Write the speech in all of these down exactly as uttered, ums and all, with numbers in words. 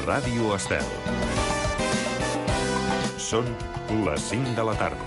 Ràdio Estel. Són les cinc de la tarda.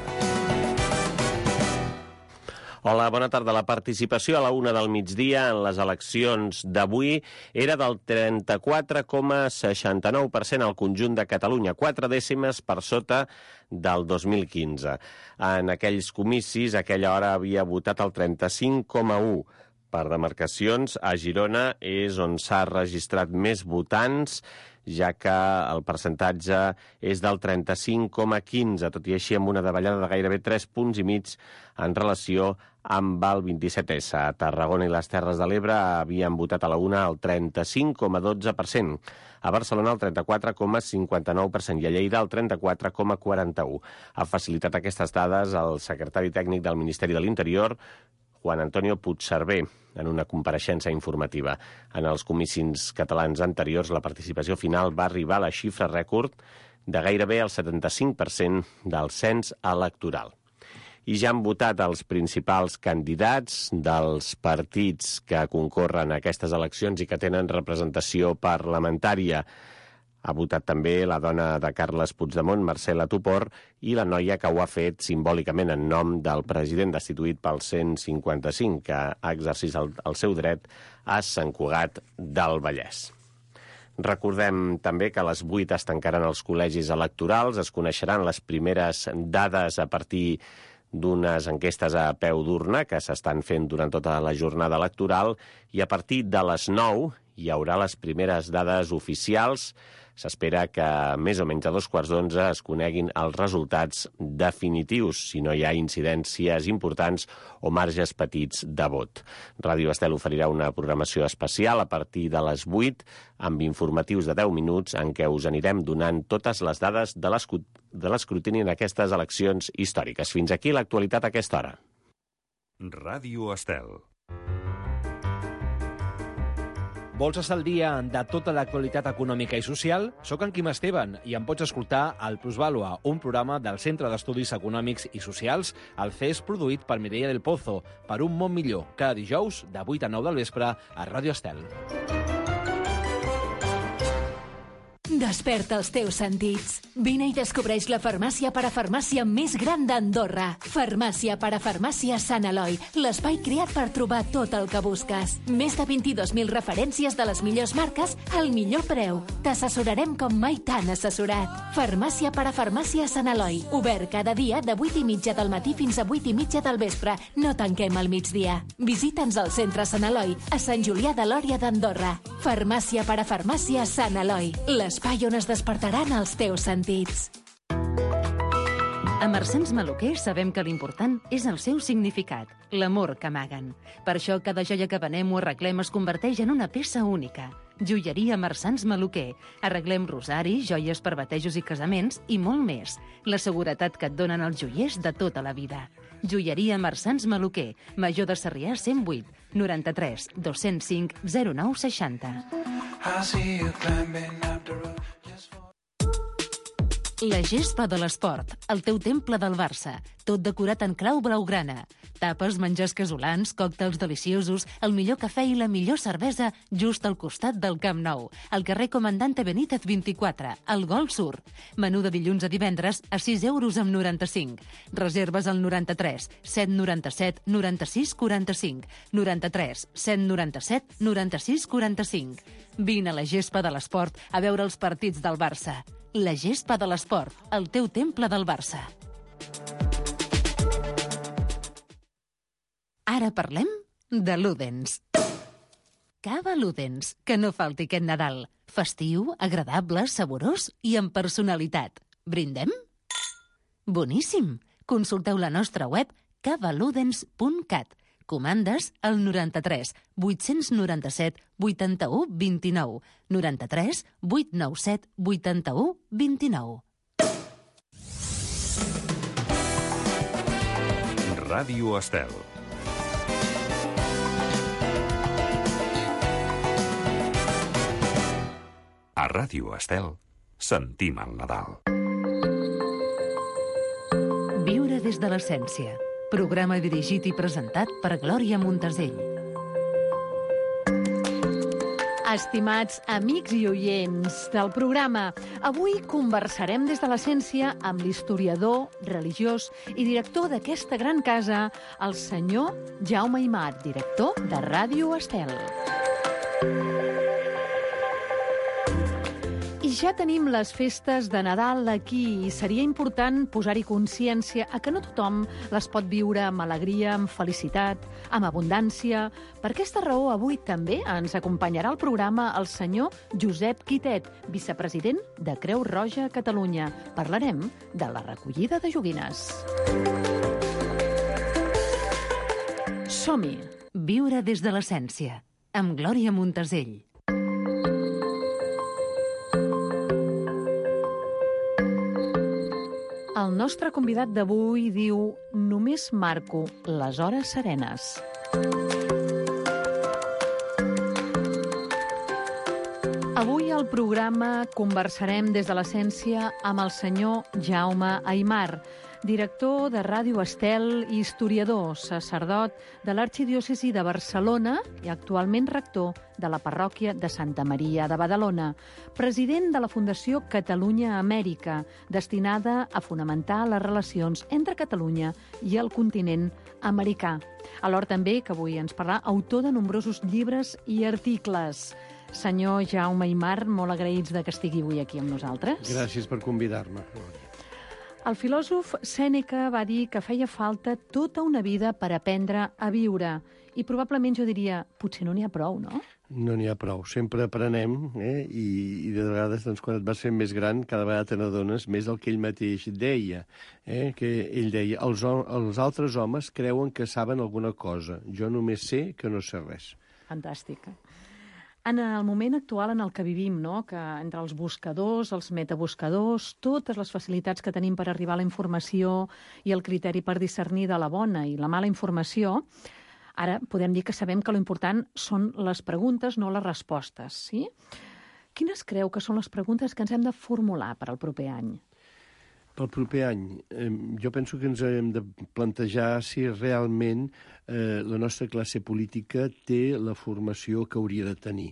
Hola, bona tarda. La participació a la una del migdia en les eleccions d'avui era del trenta-quatre coma seixanta-nou per cent al conjunt de Catalunya, quatre dècimes per sota del dos mil quinze. En aquells comicis, a aquella hora havia votat el trenta-cinc coma u per cent. Per demarcacions, a Girona és on s'ha registrat més votants, ja que el percentatge és del trenta-cinc coma quinze, tot i així amb una davallada de gairebé tres punts i mig en relació amb el vint-i-set essa. A Tarragona i les Terres de l'Ebre havien votat a la una el trenta-cinc coma dotze per cent, a Barcelona el trenta-quatre coma cinquanta-nou per cent i a Lleida el trenta-quatre coma quaranta-u. Ha facilitat aquestes dades el secretari tècnic del Ministeri de l'Interior, Juan Antonio Puigcerver, en una compareixença informativa. En els comicis catalans anteriors, la participació final va arribar a la xifra rècord de gairebé el setanta-cinc per cent del cens electoral. I ja han votat els principals candidats dels partits que concorren a aquestes eleccions i que tenen representació parlamentària. Ha votat també la dona de Carles Puigdemont, Marcela Tupor, i la noia que ho ha fet simbòlicament en nom del president destituït pel cent cinquanta-cinc, que ha exercit el, el seu dret a Sant Cugat del Vallès. Recordem també que a les vuit es tancaran els col·legis electorals, es coneixeran les primeres dades a partir d'unes enquestes a peu d'urna que s'estan fent durant tota la jornada electoral i a partir de les nou hi haurà les primeres dades oficials. S'espera que més o menys a dos quarts d'onze es coneguin els resultats definitius, si no hi ha incidències importants o marges petits de vot. Ràdio Estel oferirà una programació especial a partir de les vuit, amb informatius de deu minuts en què us anirem donant totes les dades de l'escrutini en aquestes eleccions històriques. Fins aquí l'actualitat a aquesta hora. Ràdio Estel. Vols estar al dia de tota l'actualitat econòmica i social? Soc en Quim Esteban i em pots escoltar al Plusvàlua, un programa del Centre d'Estudis Econòmics i Socials, el C E S produït per Mireia del Pozo, per un món millor, cada dijous de vuit a nou del vespre a Ràdio Estel. Desperta els teus sentits. Vine i descobreix la farmàcia parafarmàcia més gran d'Andorra. Farmàcia parafarmàcia Sant Eloi, l'espai creat per trobar tot el que busques. Més de vint-i-dos mil referències de les millors marques al millor preu. T'assessorarem com mai t'han assessorat. Farmàcia parafarmàcia Sant Eloi, obert cada dia de vuit i mitja del matí fins a vuit i mitja del vespre. No tanquem al migdia. Visita'ns al centre Sant Eloi, a Sant Julià de Lòria d'Andorra. Farmàcia parafarmàcia Sant Eloi, l'espai on es despertaran els teus sentits. A Marsans Maluquer sabem que l'important és el seu significat, l'amor que amaguen. Per això cada joia que venem o arreglem es converteix en una peça única. Joieria Marsans Maluquer. Arreglem rosaris, joies per batejos i casaments i molt més. La seguretat que et donen els joiers de tota la vida. Joieria Marsans Maluquer, Major de Sarrià cent vuit, noranta-tres, dos-cents cinc, zero nou seixanta. La gespa de l'esport, el teu temple del Barça, tot decorat en clau blaugrana. Tapes, menjars casolans, còctels deliciosos, el millor cafè i la millor cervesa just al costat del Camp Nou, al carrer Comandante Benítez vint-i-quatre, al Golf Sur. Menú de dilluns a divendres a sis euros amb noranta-cinc. Reserves al noranta-tres, set noranta-set, noranta-sis, quaranta-cinc, noranta-tres, set noranta-set, noranta-sis, quaranta-cinc. Vine a la gespa de l'esport a veure els partits del Barça. La gespa de l'esport, el teu temple del Barça. Ara parlem de Ludens. Cava Ludens, que no falti aquest Nadal. Festiu, agradable, saborós i amb personalitat. Brindem? Boníssim! Consulteu la nostra web cava ludens punt cat. Comandes al noranta-tres, vuit-cents noranta-set, vuitanta-u, vint-i-nou, noranta-tres, vuit-cents noranta-set, vuitanta-u, vint-i-nou. Ràdio Estel. A Ràdio Estel sentim el Nadal. Viure des de l'essència. Programa dirigit i presentat per Glòria Montesell. Estimats amics i oients del programa, avui conversarem des de l'essència amb l'historiador, religiós i director d'aquesta gran casa, el senyor Jaume Aimar, director de Ràdio Estel. I ja tenim les festes de Nadal aquí i seria important posar-hi consciència a que no tothom les pot viure amb alegria, amb felicitat, amb abundància. Per aquesta raó, avui també ens acompanyarà al programa el senyor Josep Quitet, vicepresident de Creu Roja Catalunya. Parlarem de la recollida de joguines. Som-hi! Viure des de l'essència, amb Glòria Montesell. El nostre convidat d'avui diu «Només marco les hores serenes». Avui al programa conversarem des de l'essència amb el senyor Jaume Aimar, director de Ràdio Estel i historiador, sacerdot de l'Arxidiòcesi de Barcelona i actualment rector de la parròquia de Santa Maria de Badalona, president de la Fundació Catalunya Amèrica, destinada a fonamentar les relacions entre Catalunya i el continent americà. Alhora també, que avui ens parlarà, autor de nombrosos llibres i articles. Senyor Jaume Aimar, molt agraïts de que estigui avui aquí amb nosaltres. Gràcies per convidar-me. El filòsof Sèneca va dir que feia falta tota una vida per aprendre a viure. I probablement jo diria, potser no n'hi ha prou, no? No n'hi ha prou. Sempre aprenem, eh? I, i de vegades, doncs, quan et vas fent més gran, cada vegada te n'adones més del que ell mateix deia. Eh? Que ell deia, els, els altres homes creuen que saben alguna cosa. Jo només sé que no sé res. Fantàstic. En el moment actual en el que vivim, no? Que entre els buscadors, els metabuscadors, totes les facilitats que tenim per arribar a la informació i el criteri per discernir de la bona i la mala informació, ara podem dir que sabem que l'important són les preguntes, no les respostes, sí? Quines creu que són les preguntes que ens hem de formular per al proper any? Pel proper any, eh, jo penso que ens hem de plantejar si realment eh, la nostra classe política té la formació que hauria de tenir.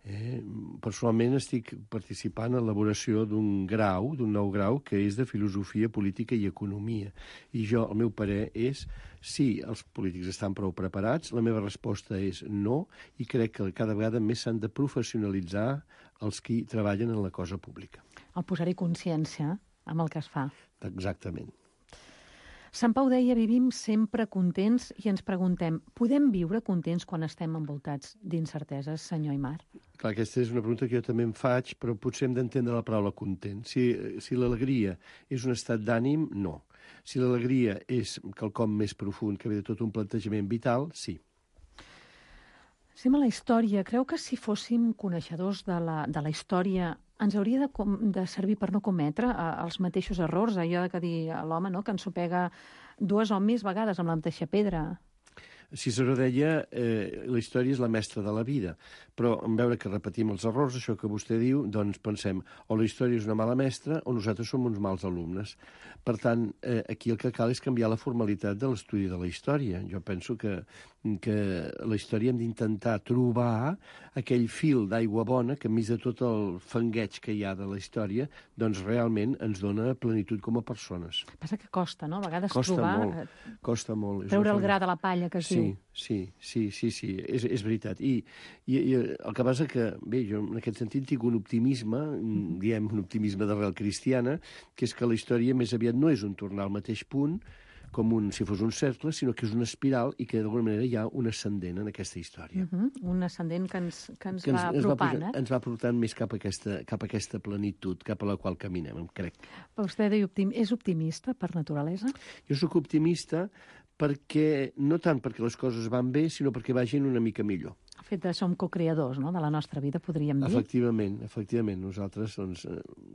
Eh, personalment estic participant en l'elaboració d'un grau, d'un nou grau, que és de Filosofia, Política i Economia. I jo, el meu parer és, si els polítics estan prou preparats, la meva resposta és no, i crec que cada vegada més s'han de professionalitzar els qui treballen en la cosa pública. El posar-hi consciència amb el que es fa. Exactament. Sant Pau deia, vivim sempre contents i ens preguntem, podem viure contents quan estem envoltats d'incerteses, senyor Aimar? Clar, aquesta és una pregunta que jo també em faig, però potser hem d'entendre la paraula content. Si, si l'alegria és un estat d'ànim, no. Si l'alegria és quelcom més profund que ve de tot un plantejament vital, sí. Sim, a la història, creu que si fóssim coneixedors de la, de la història ens hauria de, com, de servir per no cometre eh, els mateixos errors, allò de que dir a l'home, no?, que ensopega dues o més vegades amb la mateixa pedra. Ciceró deia eh, la història és la mestra de la vida, però en veure que repetim els errors, això que vostè diu, doncs pensem o la història és una mala mestra o nosaltres som uns mals alumnes. Per tant, eh, aquí el que cal és canviar la formalitat de l'estudi de la història. Jo penso que, que la història hem d'intentar trobar aquell fil d'aigua bona que, enmig de tot el fangueig que hi ha de la història, doncs realment ens dona plenitud com a persones. Passa que costa, no? A vegades costa trobar... Molt, costa molt. Treure el gra de la palla, que es sí, diu. Sí, sí, sí, sí, és, és veritat. I, i, I el que passa que, bé, jo en aquest sentit tinc un optimisme, mm. diem un optimisme d'arrel cristiana, que és que la història més aviat no és un tornar al mateix punt, com un, si fos un cercle, sinó que és una espiral i que d'alguna manera hi ha un ascendent en aquesta història. Uh-huh. Un ascendent que ens, que ens, que ens va ens apropant, va, eh? Ens va portant més cap a, aquesta, cap a aquesta plenitud, cap a la qual caminem, crec. Però vostè diu, optim... és optimista per naturalesa? Jo sóc optimista perquè, no tant perquè les coses van bé, sinó perquè vagin una mica millor. El fet de som co-creadors, no?, de la nostra vida, podríem dir. Efectivament, efectivament. Nosaltres doncs,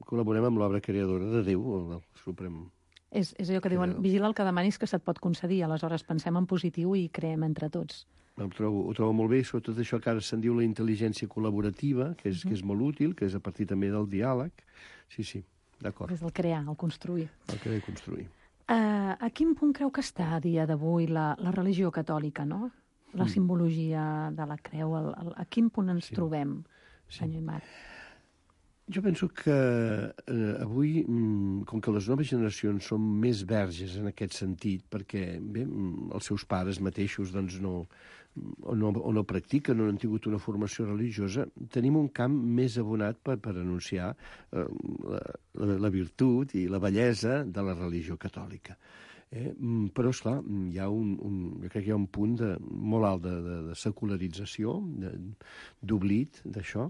col·laborem amb l'obra creadora de Déu, el Suprem. És, és allò que diuen, vigila el que demanis que se't pot concedir. Aleshores pensem en positiu i creem entre tots. Ho trobo, ho trobo molt bé, sobretot això que ara se'n diu la intel·ligència col·laborativa, que és, uh-huh. que és molt útil, que és a partir també del diàleg. Sí, sí, d'acord. És el crear, el construir. El crear i construir. Uh, a quin punt creu que està a dia d'avui la, la religió catòlica, no? La simbologia de la creu, el, el, a quin punt ens sí. trobem? senyor Aimar? Jo penso que eh, avui, mm, com que les noves generacions són més verges en aquest sentit, perquè bé, mm, els seus pares mateixos doncs, no, o, no, o no practiquen o no han tingut una formació religiosa, tenim un camp més abonat per, per anunciar eh, la, la, la virtut i la bellesa de la religió catòlica. Eh? Però, esclar, hi ha un, un, jo crec que hi ha un punt de, molt alt de, de, de secularització, d'oblit d'això,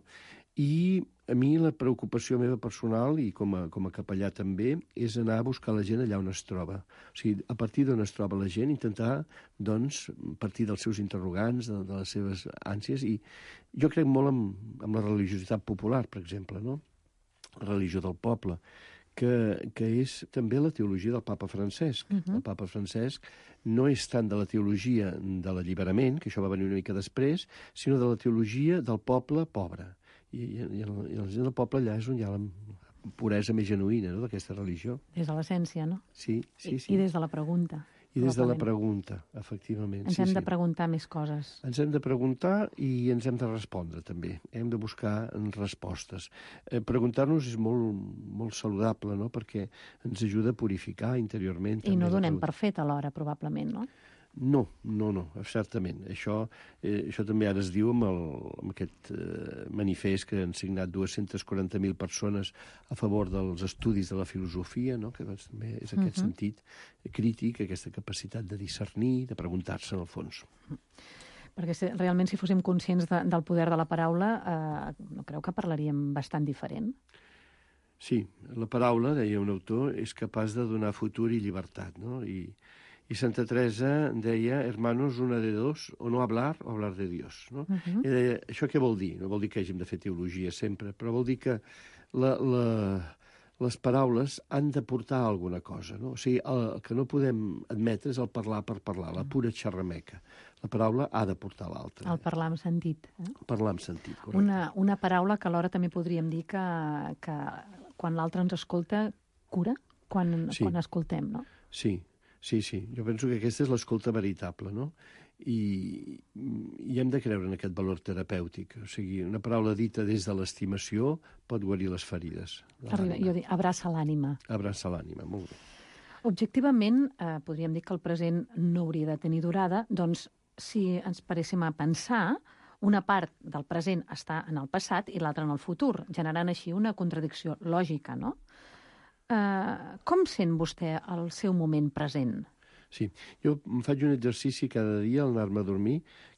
i a mi la preocupació meva personal, i com a, com a capellà també, és anar a buscar la gent allà on es troba. O sigui, a partir d'on es troba la gent, intentar, doncs, partir dels seus interrogants, de, de les seves ànsies, i jo crec molt en, en la religiositat popular, per exemple, no? La religió del poble, que, que és també la teologia del papa Francesc. Uh-huh. El papa Francesc no és tant de la teologia de l'alliberament, que això va venir una mica després, sinó de la teologia del poble pobre. I, i, i, el, i la gent del poble allà és on hi ha la puresa més genuïna, no?, d'aquesta religió. Des de l'essència, no? Sí, sí, sí. I, I des de la pregunta. I des de la pregunta, efectivament. Ens sí, hem sí. de preguntar més coses. Ens hem de preguntar i ens hem de respondre, també. Hem de buscar respostes. Eh, Preguntar-nos és molt, molt saludable, no?, perquè ens ajuda a purificar interiorment. I no donem per fet alhora, probablement, no? No, no, no, certament. Això, eh, això també ara es diu amb, el, amb aquest eh, manifest que han signat dues-centes quaranta mil persones a favor dels estudis de la filosofia, no?, que doncs, també és aquest uh-huh. sentit crític, aquesta capacitat de discernir, de preguntar-se en el fons. Perquè si, realment si fóssim conscients de, del poder de la paraula, eh, no creu que parlaríem bastant diferent? Sí, la paraula, deia un autor, és capaç de donar futur i llibertat, no?, i I Santa Teresa deia, hermanos, una de dos, o no hablar o hablar de Dios. No? Uh-huh. I deia, això què vol dir? No vol dir que hàgim de fer teologia sempre, però vol dir que la, la, les paraules han de portar alguna cosa. No? O sigui, el, el que no podem admetre és el parlar per parlar, la pura xerrameca. La paraula ha de portar l'altra. El parlar amb sentit. Eh? Parlar amb sentit, correcte. Una, una paraula que alhora també podríem dir que, que quan l'altre ens escolta, cura, quan, sí. quan escoltem, no? Sí. Sí, sí, jo penso que aquesta és l'escolta veritable, no? I, I hem de creure en aquest valor terapèutic. O sigui, una paraula dita des de l'estimació pot guarir les ferides. Arriba, jo dic, abraça l'ànima. Abraça l'ànima, molt bé. Objectivament, eh, podríem dir que el present no hauria de tenir durada, doncs si ens paréssim a pensar, una part del present està en el passat i l'altra en el futur, generant així una contradicció lògica, no? Uh, com sent vostè el seu moment present? Sí, jo em faig un exercici cada dia al anar-me a dormir,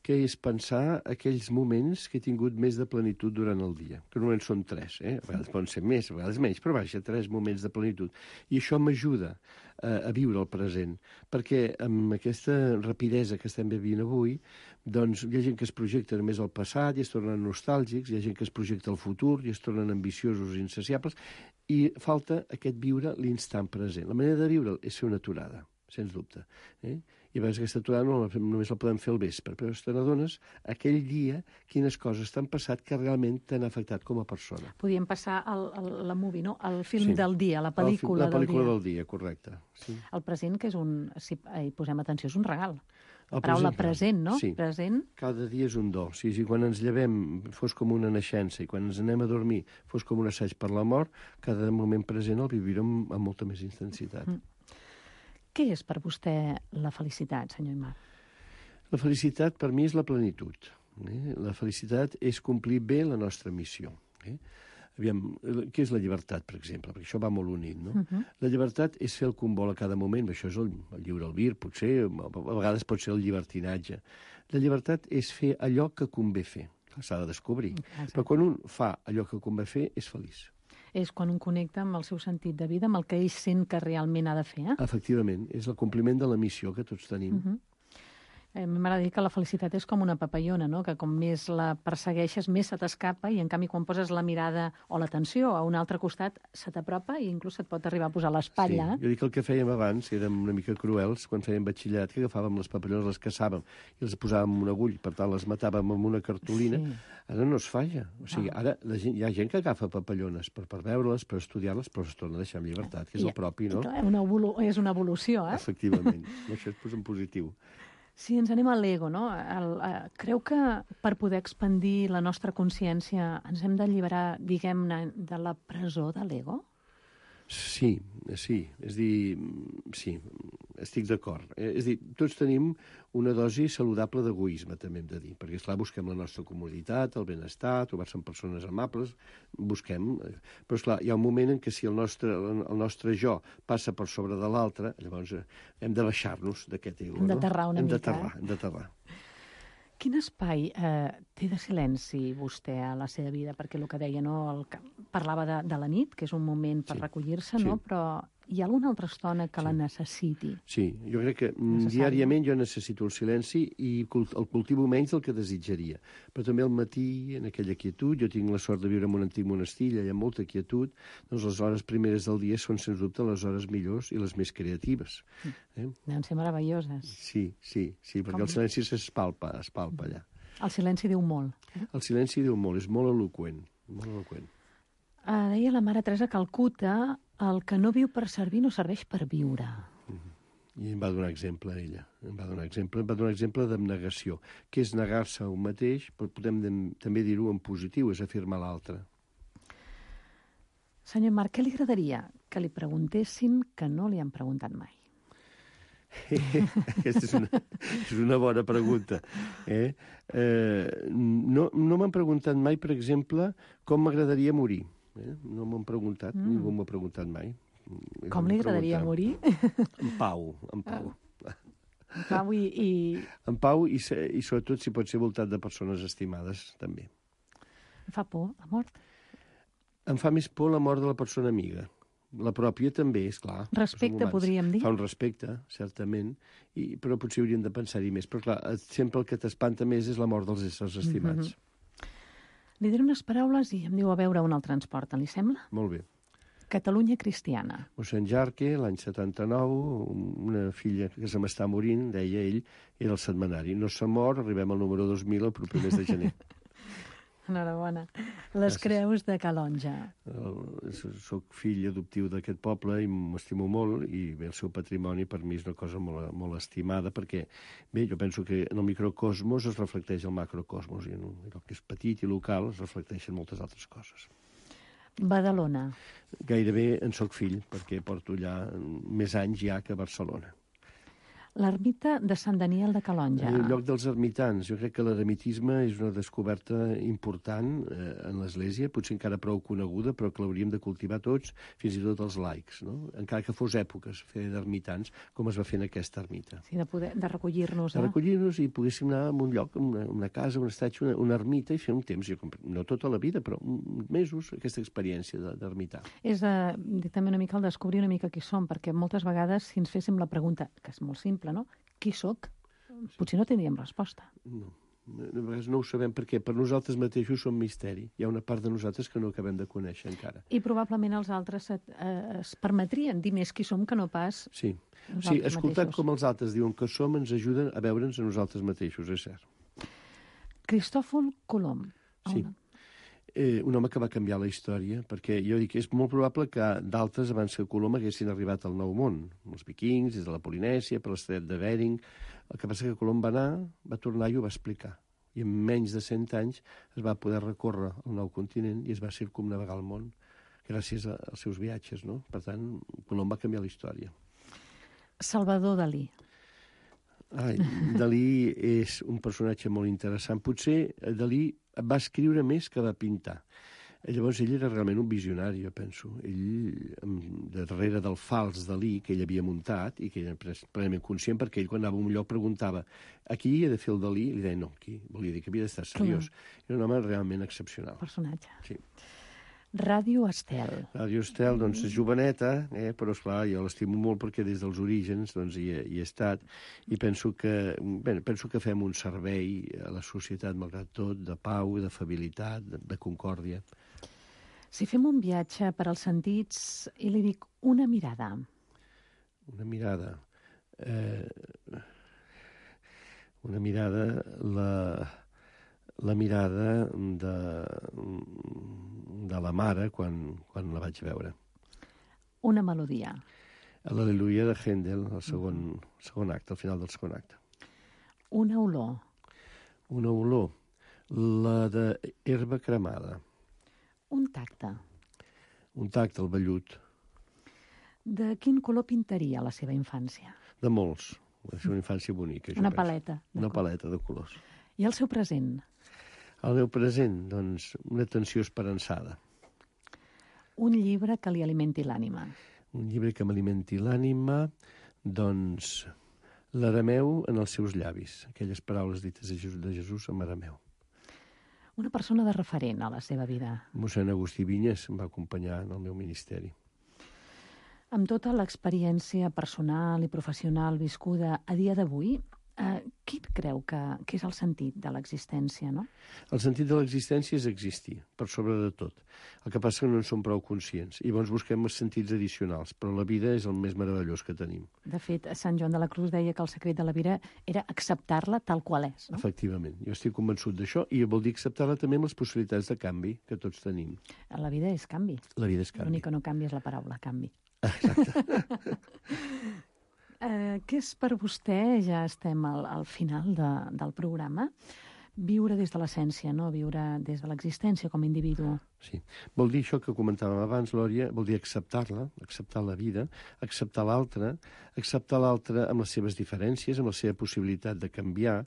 que és pensar aquells moments que he tingut més de plenitud durant el dia, que normalment són tres, eh? A vegades poden ser més, a vegades menys, però vaja, tres moments de plenitud. I això m'ajuda uh, a viure el present, perquè amb aquesta rapidesa que estem vivint avui, doncs hi ha gent que es projecta només al passat i es tornen nostàlgics, hi ha gent que es projecta al futur i es tornen ambiciosos i insaciables, i falta aquest viure l'instant present. La manera de viure és fer una aturada, sens dubte. Eh? I a vegades aquesta aturada no, només la podem fer al vespre, però te n'adones aquell dia quines coses t'han passat que realment t'han afectat com a persona. Podíem passar al, al, la movie, no? El film sí. del dia, la pel·lícula, la pel·lícula del dia. del dia, correcte. Sí. El present, que és un, si hi posem atenció, és un regal. La El paraula present, present, no? Sí. Present. Cada dia és un do. Sí, sí, quan ens llevem fos com una naixença i quan ens anem a dormir fos com un assaig per la mort, cada moment present el vivirem amb molta més intensitat. Mm. Què és per vostè la felicitat, senyor Aimar? La felicitat per mi és la plenitud. Eh? La felicitat és complir bé la nostra missió. Eh? Aviam, què és la llibertat, per exemple? Perquè això va molt unit, no? Uh-huh. La llibertat és fer el que un vol a cada moment, això és el, el lliure albir, potser, a vegades pot ser el llibertinatge. La llibertat és fer allò que convé fer, s'ha de descobrir. Exacte. Però quan un fa allò que convé fer, és feliç. És quan un connecta amb el seu sentit de vida, amb el que ell sent que realment ha de fer, eh? Efectivament, és el compliment de la missió que tots tenim. Uh-huh. A mi m'agrada dir que la felicitat és com una papallona, no? Que com més la persegueixes, més se t'escapa, i en canvi quan poses la mirada o l'atenció a un altre costat, se t'apropa i inclús et pot arribar a posar l'espatlla. Sí, jo dic que el que fèiem abans, érem una mica cruels, quan fèiem batxillerat, que agafàvem les papallones, les caçàvem i les posàvem amb un agull, per tant les matàvem amb una cartolina. Sí. Ara no es fa ja. O sigui, ara la gent, hi ha gent que agafa papallones per, per veure-les, per estudiar-les, però es torna a deixar en llibertat, que és I, el propi, no? Una evolu és una evolució, eh? Efectivament. Això és en positiu. Si ens anem a l'ego, no? El, uh, creu que per poder expandir la nostra consciència ens hem d'alliberar, diguem-ne, de la presó de l'ego? Sí, sí, és dir, sí, estic d'acord. És dir, tots tenim una dosi saludable d'egoisme, també hem de dir, perquè, esclar, busquem la nostra comoditat, el benestar, trobar-se amb persones amables, busquem... Però, esclar, hi ha un moment en què si el nostre, el nostre jo passa per sobre de l'altre, llavors hem de baixar-nos d'aquest ego, no? Hem d'aterrar una hem mica. d'aterrar, hem d'aterrar. Quin espai eh, té de silenci vostè a la seva vida? Perquè el que deia, no? El que parlava de, de la nit, que és un moment per Sí, recollir-se, sí. no? Però hi ha alguna altra estona que Sí. la necessiti? Sí, jo crec que mm, Necessari. diàriament jo necessito el silenci i cult- el cultivo menys del que desitjaria. Però també al matí, en aquella quietud, jo tinc la sort de viure en un antic monestir, allà hi ha molta quietud, doncs les hores primeres del dia són, sens dubte, les hores millors i les més creatives. Eh? Deuen ser meravelloses. Sí, sí, sí, perquè Com? el silenci s'espalpa, es palpa allà. El silenci diu molt. El silenci diu molt, és molt eloqüent, molt eloqüent. Uh, deia la mare Teresa Calcuta, el que no viu per servir no serveix per viure. I em va donar exemple, ella. Em va donar exemple, em va donar exemple d'abnegació, que és negar-se a un mateix, però podem dem- també dir-ho en positiu, és afirmar l'altre. Senyor Marc, què li agradaria que li preguntessin que no li han preguntat mai? Aquesta és una, és una bona pregunta. Eh? Eh, no no m'han preguntat mai, per exemple, com m'agradaria morir. Eh? No m'han preguntat, mm. ningú m'ho ha preguntat mai. Com li agradaria morir? En pau, en pau. Pau i, i... En pau i, se- i sobretot si pot ser voltat de persones estimades, també. Fa por, la mort? Em fa més por la mort de la persona amiga. La pròpia també, és clar. Respecte, podríem dir? Fa un respecte, certament, i, però potser hauríem de pensar-hi més. Però clar, sempre el que t'espanta més és la mort dels éssers estimats. Mm-hmm. Li diré unes paraules i em diu a veure on el transporten, li sembla? Molt bé. Catalunya cristiana. Mossèn Jarque, l'any setanta-nou, una filla que se m'està morint, deia ell, era el setmanari. No s'ha mort, arribem al número dos mil el proper mes de gener. Enhorabona. Les Gràcies. creus de Calonja. El- Soc fill adoptiu d'aquest poble i m'estimo molt, i bé, el seu patrimoni per mi és una cosa molt, molt estimada, perquè bé, jo penso que en el microcosmos es reflecteix el macrocosmos, i en el que és petit i local es reflecteixen moltes altres coses. Badalona. Gairebé en soc fill, perquè porto allà més anys ja que a Barcelona. L'ermita de Sant Daniel de Calonja. El lloc dels ermitans. Jo crec que l'eremitisme és una descoberta important eh, en l'Església, potser encara prou coneguda, però que l'hauríem de cultivar tots, fins i tot els laics, no? Encara que fos èpoques fer d'ermitans, com es va fer en aquesta ermita. Sí, de, poder, de recollir-nos. De Eh? recollir-nos i poguéssim anar a un lloc, una, una casa, un estatge, una, una ermita, i fer un temps, jo, no tota la vida, però uns mesos, aquesta experiència de- d'ermitar. És eh, també una mica el descobrir una mica qui som, perquè moltes vegades si ens féssim la pregunta, que és molt simple, no? Qui sóc? Potser no tindríem resposta. No. A vegades no ho sabem perquè per nosaltres mateixos som misteri. Hi ha una part de nosaltres que no acabem de conèixer encara. I probablement els altres et, eh, es permetrien dir més qui som que no pas Sí, nosaltres sí, escoltant mateixos. com els altres diuen que som ens ajuden a veure'ns a nosaltres mateixos, és cert. Cristòfol Colom. Sí. Eh, un home que va canviar la història, perquè jo dic que és molt probable que d'altres abans que Colom haguessin arribat al Nou Món, els vikings, des de la Polinèsia, per l'estret de Bering. El que passa que Colom va anar, va tornar i ho va explicar. I en menys de cent anys es va poder recórrer el nou continent i es va circumnavegar el món gràcies a- als seus viatges, no? Per tant, Colom va canviar la història. Salvador Dalí. Ai, Dalí és un personatge molt interessant. Potser Dalí va escriure més que va pintar. Llavors ell era realment un visionari, jo penso. Ell, em- darrere del fals Dalí que ell havia muntat i que era pres- plenament conscient, perquè ell quan anava a un lloc preguntava aquí he de fer el Dalí, i li deia no, aquí. Volia dir que havia d'estar seriós. Era un home realment excepcional. Personatge. Sí. Ràdio Estel. Ràdio Estel, doncs, és joveneta, eh? Però, esclar, jo l'estimo molt perquè des dels orígens doncs, hi, he, hi he estat i penso que, bé, penso que fem un servei a la societat, malgrat tot, de pau, de fabilitat, de, de concòrdia. Si fem un viatge per als sentits i li dic una mirada, Una mirada... Eh, una mirada... La, la mirada de, de la mare quan, quan la vaig veure. una melodia, L'Al·leluia de Händel, el segon, segon acte, al final del segon acte. Una olor. Una olor. La d'herba cremada. Un tacte. Un tacte, el vellut. De quin color pintaria la seva infància? De molts. Va ser una infància bonica. Una paleta. Una paleta de colors. I el seu present? El meu present, doncs, una tensió esperançada. Un llibre que li alimenti l'ànima. Un llibre que m'alimenti l'ànima, doncs, l'arameu en els seus llavis, aquelles paraules dites de Jesús, de Jesús en arameu. Una persona de referent a la seva vida. Mossèn Agustí Vinyes em va acompanyar en el meu ministeri. Amb tota l'experiència personal i professional viscuda a dia d'avui, eh, quin creu que, que és el sentit de l'existència, no? El sentit de l'existència és existir, per sobre de tot. El que passa és que no en som prou conscients. I llavors busquem els sentits addicionals, però la vida és el més meravellós que tenim. De fet, Sant Joan de la Cruz deia que el secret de la vida era acceptar-la tal qual és, no? Efectivament. Jo estic convençut d'això i vol dir acceptar-la també amb les possibilitats de canvi que tots tenim. La vida és canvi. La vida és canvi. L'únic que no canvia és la paraula canvi. Exacte. Eh, què és per vostè, ja estem al, al final de, del programa, viure des de l'essència, no? Viure des de l'existència com a individu? Sí. Vol dir això que comentàvem abans, Lòria, vol dir acceptar-la, acceptar la vida, acceptar l'altre, acceptar l'altre amb les seves diferències, amb la seva possibilitat de canviar.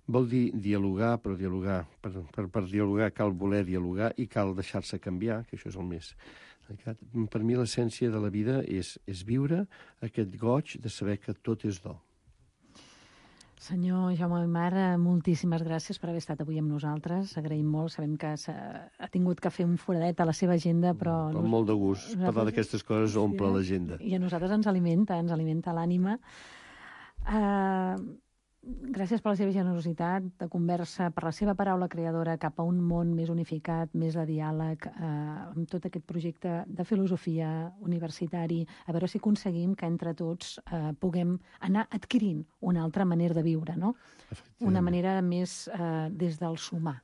Vol dir dialogar, però dialogar, per, per, per dialogar cal voler dialogar i cal deixar-se canviar, que això és el més... Per mi l'essència de la vida és, és viure aquest goig de saber que tot és do. Senyor Jaume Aymar, moltíssimes gràcies per haver estat avui amb nosaltres. Agraïm molt, sabem que ha tingut que fer un foradet a la seva agenda, però... Amb molt de gust. Nosaltres... Parlar d'aquestes coses omple l'agenda. I a nosaltres ens alimenta, ens alimenta l'ànima. Uh, gràcies per la seva generositat de conversa, per la seva paraula creadora cap a un món més unificat, més de diàleg, eh, amb tot aquest projecte de filosofia universitari, a veure si aconseguim que entre tots eh, puguem anar adquirint una altra manera de viure, no? Una manera més eh, des del sumar.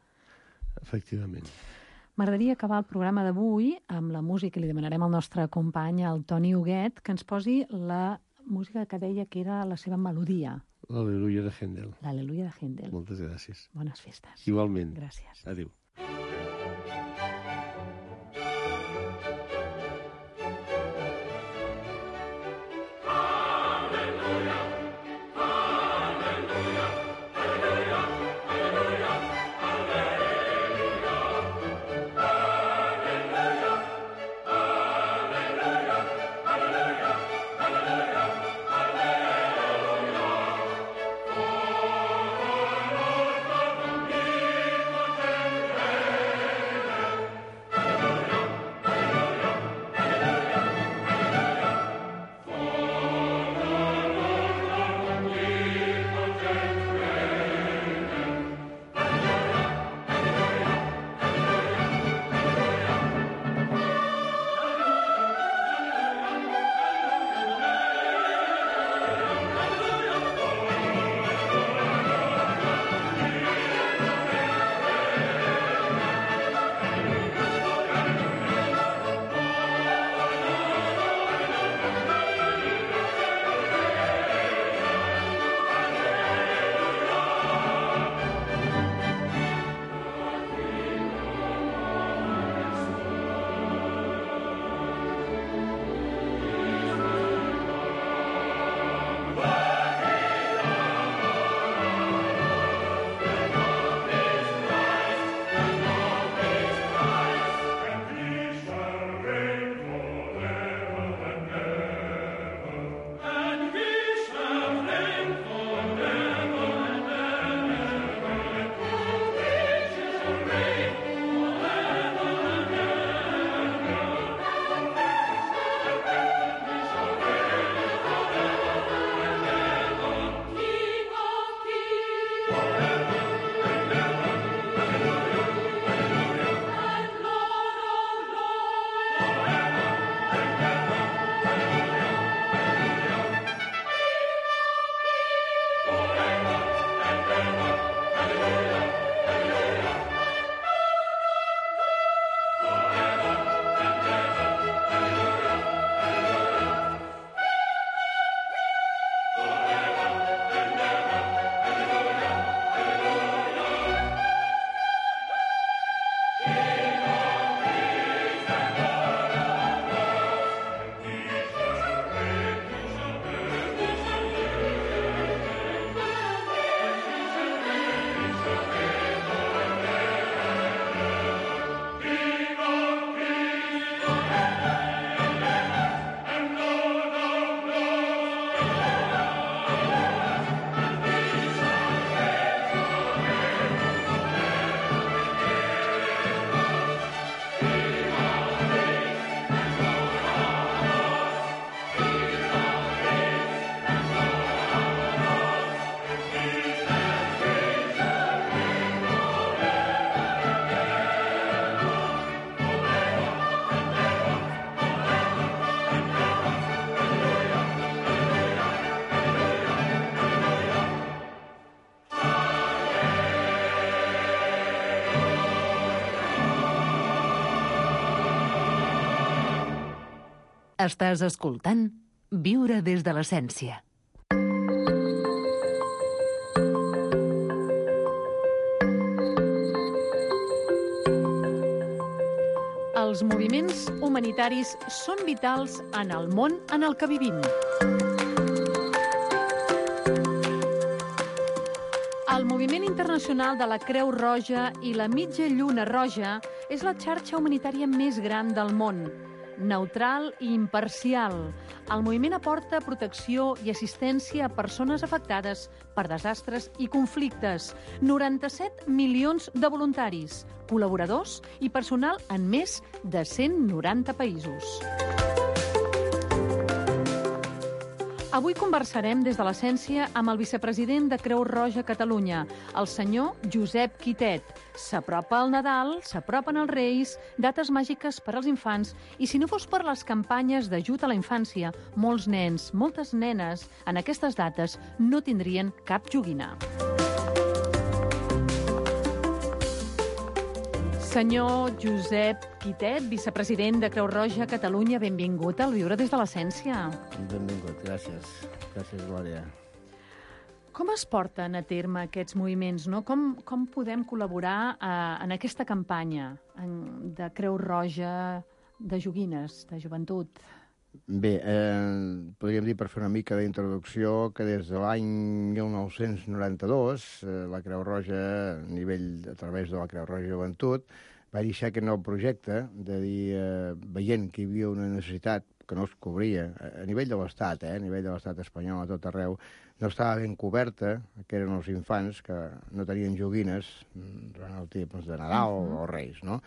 Efectivament. M'agradaria acabar el programa d'avui amb la música, i li demanarem al nostre company, el Toni Huguet, que ens posi la música que deia que era la seva melodia. L'Al·leluia de Händel. L'Al·leluia de Händel. Moltes gràcies. Bones festes. Igualment. Gràcies. Adéu. Estàs escoltant Viure des de l'essència. Els moviments humanitaris són vitals en el món en el que vivim. El Moviment Internacional de la Creu Roja i la Mitja Lluna Roja és la xarxa humanitària més gran del món, neutral i imparcial. El moviment aporta protecció i assistència a persones afectades per desastres i conflictes. noranta-set milions de voluntaris, col·laboradors i personal en més de cent noranta països. Avui conversarem des de l'essència amb el vicepresident de Creu Roja Catalunya, el senyor Josep Quitet. S'apropa el Nadal, s'apropen els Reis, dates màgiques per als infants, i si no fos per les campanyes d'ajut a la infància, molts nens, moltes nenes, en aquestes dates no tindrien cap joguina. Senyor Josep Quitet, vicepresident de Creu Roja Catalunya, benvingut al Viure des de l'essència. Benvingut, gràcies. Gràcies, Glòria. Com es porten a terme aquests moviments, no? Com, com podem col·laborar eh, en aquesta campanya en, de Creu Roja de joguines, de joventut? Bé, eh, podríem dir, per fer una mica d'introducció, que des de l'any mil nou-cents noranta-dos eh, la Creu Roja, a nivell, a través de la Creu Roja Joventut, va iniciar aquest nou projecte de dir, eh, veient que hi havia una necessitat que no es cobria a nivell de l'Estat, eh, a nivell de l'Estat espanyol, a tot arreu, no estava ben coberta, que eren els infants que no tenien joguines durant el temps de Nadal uh-huh. o Reis, no?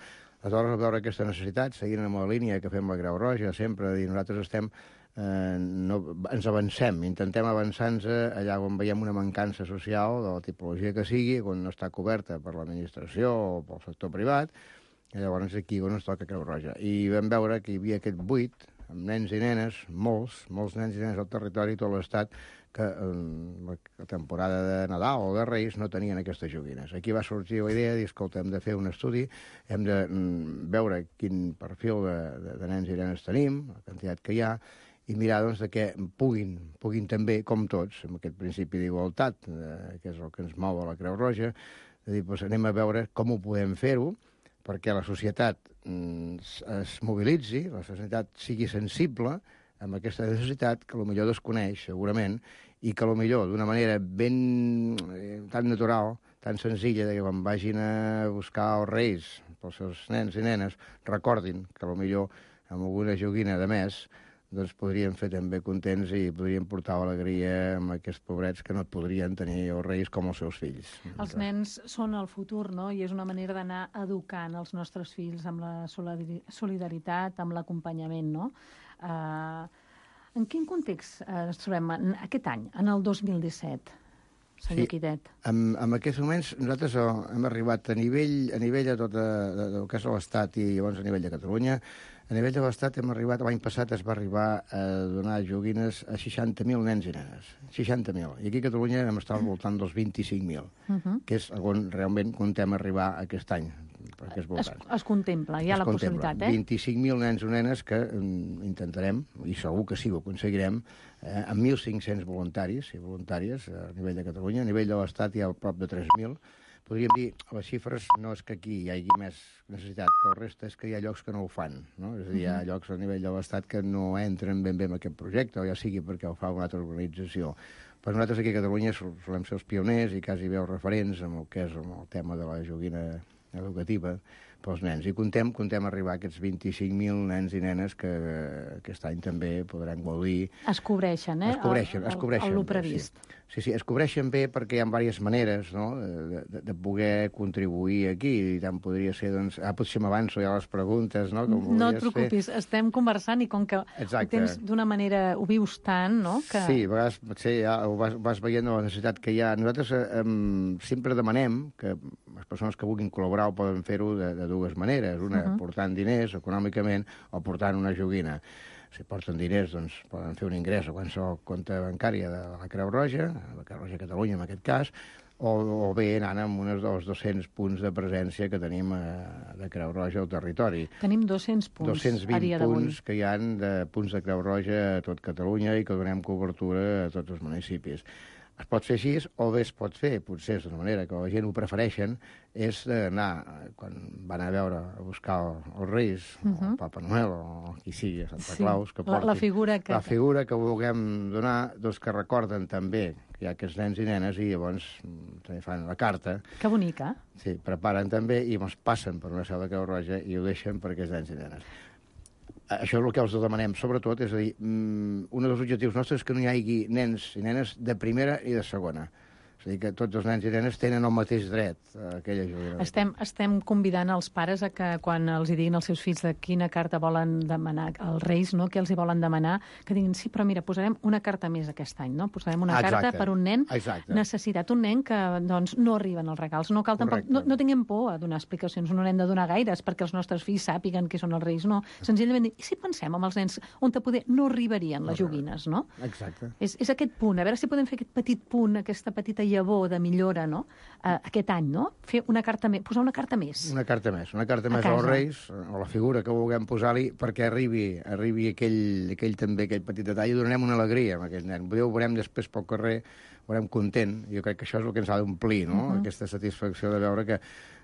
Aleshores, al veure aquesta necessitat, seguint amb la línia que fem la Creu Roja, sempre de dir, nosaltres estem, eh, no, ens avancem, intentem avançar-nos allà on veiem una mancança social, de la tipologia que sigui, on no està coberta per l'administració o pel sector privat, i llavors aquí on ens toca Creu Roja. I vam veure que hi havia aquest buit, amb nens i nenes, molts, molts nens i nenes al territori, tot l'Estat, que en la temporada de Nadal o de Reis no tenien aquestes joguines. Aquí va sorgir la idea de dir, escolta, hem de fer un estudi, hem de mm, veure quin perfil de, de, de nens i nenes tenim, la quantitat que hi ha, i mirar doncs, de que puguin, puguin també, com tots, amb aquest principi d'igualtat, eh, que és el que ens mou a la Creu Roja, de dir, doncs, anem a veure com ho podem fer-ho, perquè la societat mm, es mobilitzi, la societat sigui sensible amb aquesta necessitat que potser desconeix, segurament, i que potser d'una manera ben eh, tan natural, tan senzilla, que quan vagin a buscar els Reis pels seus nens i nenes, recordin que potser amb alguna joguina de més doncs podrien fer també contents i podrien portar alegria amb aquests pobrets que no podrien tenir els Reis com els seus fills. Els nens són el futur, no? I és una manera d'anar educant els nostres fills amb la solidaritat, amb l'acompanyament, no? Uh, en quin context uh, ens trobem en aquest any, en el dos mil disset, senyor sí, Quitet? En, en aquests moments nosaltres hem arribat a nivell a nivell de tot el que és l'Estat i llavors a nivell de Catalunya. A nivell de l'Estat hem arribat, l'any passat es va arribar a donar joguines a seixanta mil nens i nenes. seixanta mil. I aquí a Catalunya hem estat al voltant dels vint-i-cinc mil, uh-huh. que és on realment contem arribar aquest any. Perquè és es, es contempla, hi ha es la contempla. Possibilitat, eh? vint-i-cinc mil nens i nenes que mm, intentarem, i segur que sí ho aconseguirem, eh, amb mil cinc-cents voluntaris i voluntàries a nivell de Catalunya. A nivell de l'Estat hi ha prop de tres mil. Podríem dir, les xifres no és que aquí hi hagi més necessitat, que el resta és que hi ha llocs que no ho fan, no? És a dir, hi ha llocs a nivell de l'Estat que no entren ben bé en aquest projecte, o ja sigui perquè ho fa una altra organització. Però nosaltres aquí a Catalunya solem ser els pioners i quasi bé els referents amb el que és el tema de la joguina educativa pels nens. I contem, contem arribar a aquests vint-i-cinc mil nens i nenes que aquest any també podran gaudir. Es cobreixen, eh? Es cobreixen, es cobreixen. El, el previst. Sí. sí, sí, es cobreixen bé perquè hi ha diverses maneres, no?, de, de, de poder contribuir aquí. I tant podria ser, doncs... Ah, potser m'avanço ja a les preguntes, no? Com no et preocupis, fer. Estem conversant i com que Exacte. Ho tens d'una manera, ho vius tant, no? Que... Sí, a vegades potser ja ho vas, vas veient la necessitat que hi ha. Nosaltres eh, sempre demanem que les persones que vulguin col·laborar ho poden fer-ho de, de dues maneres. Una, uh-huh. portant diners econòmicament o portant una joguina. Si porten diners, doncs poden fer un ingrés a qualsevol compte bancària de la Creu Roja, la Creu Roja Catalunya en aquest cas, o, o bé anant amb uns dels dos-cents punts de presència que tenim a, de Creu Roja al territori. Tenim dos-cents punts dos-cents vint a dia d'avui. punts que hi ha de punts de Creu Roja a tot Catalunya i que donem cobertura a tots els municipis. Es pot fer així, o bé es pot fer, potser és d'una manera que la gent ho prefereixen, és anar, quan van a veure, a buscar els Reis, uh -huh. el Papa Noel, o qui sigui, a Santa sí. Claus, que portin... La, la figura que... La figura que vulguem donar, doncs que recorden també que hi ha aquests nens i nenes i llavors també fan la carta. Que bonica. Sí, preparen també i llavors passen per una seu de Creu Roja i ho deixen per aquests nens i nenes. Això és el que els demanem, sobretot, és a dir, un dels objectius nostres és que no hi hagi nens i nenes de primera i de segona. És a dir, que tots els nens i nenes tenen el mateix dret a aquella joguina. Estem, estem convidant els pares a que quan els hi diguin als seus fills de quina carta volen demanar, els Reis, no?, què els hi volen demanar, que diguin, sí, però mira, posarem una carta més aquest any, no? Posarem una Exacte. carta per un nen Exacte. necessitat, un nen que, doncs, no arriben els regals. No cal tampoc, no, no tinguem por a donar explicacions, no n'hem de donar gaires perquè els nostres fills sàpiguen qui són els Reis, no. Senzillament dir, i si pensem en els nens on te poder no arribarien les joguines, no? Exacte. És, és aquest punt, a veure si podem fer aquest petit punt, aquesta petita llavor de millora, no?, uh, aquest any, no? Fer una carta més, posar una carta més. Una carta més, una carta A més casa. als Reis, o la figura que vulguem posar-li, perquè arribi, arribi aquell, aquell també, aquell petit detall, i donarem una alegria a aquell nen. Ho veurem després pel carrer, ho veurem content. Jo crec que això és el que ens ha d'omplir, no?, uh -huh. Aquesta satisfacció de veure que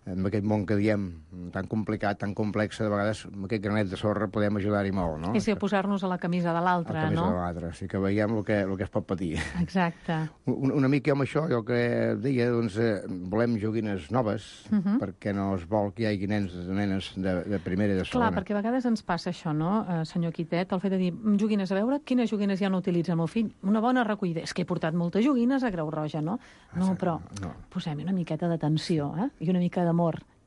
en aquest món que diem tan complicat, tan complex, de vegades amb aquest granet de sorra podem ajudar-hi molt, no? És a posar-nos a la camisa de l'altre, no? A la camisa de l'altre, sí que veiem el que, el que es pot patir. Exacte. Una, una mica amb això, jo que deia, doncs, eh, volem joguines noves, uh -huh. perquè no es vol que hi hagi nens i nenes de, de primera i de segona. Clar, perquè a vegades ens passa això, no, eh, senyor Quitet, el fet de dir, joguines, a veure quines joguines ja no utilitza el meu fill. Una bona recollida. És que he portat moltes joguines a Creu Roja, no? No, però no. posem una miqueta d'atenció, eh? I una mica d'amor.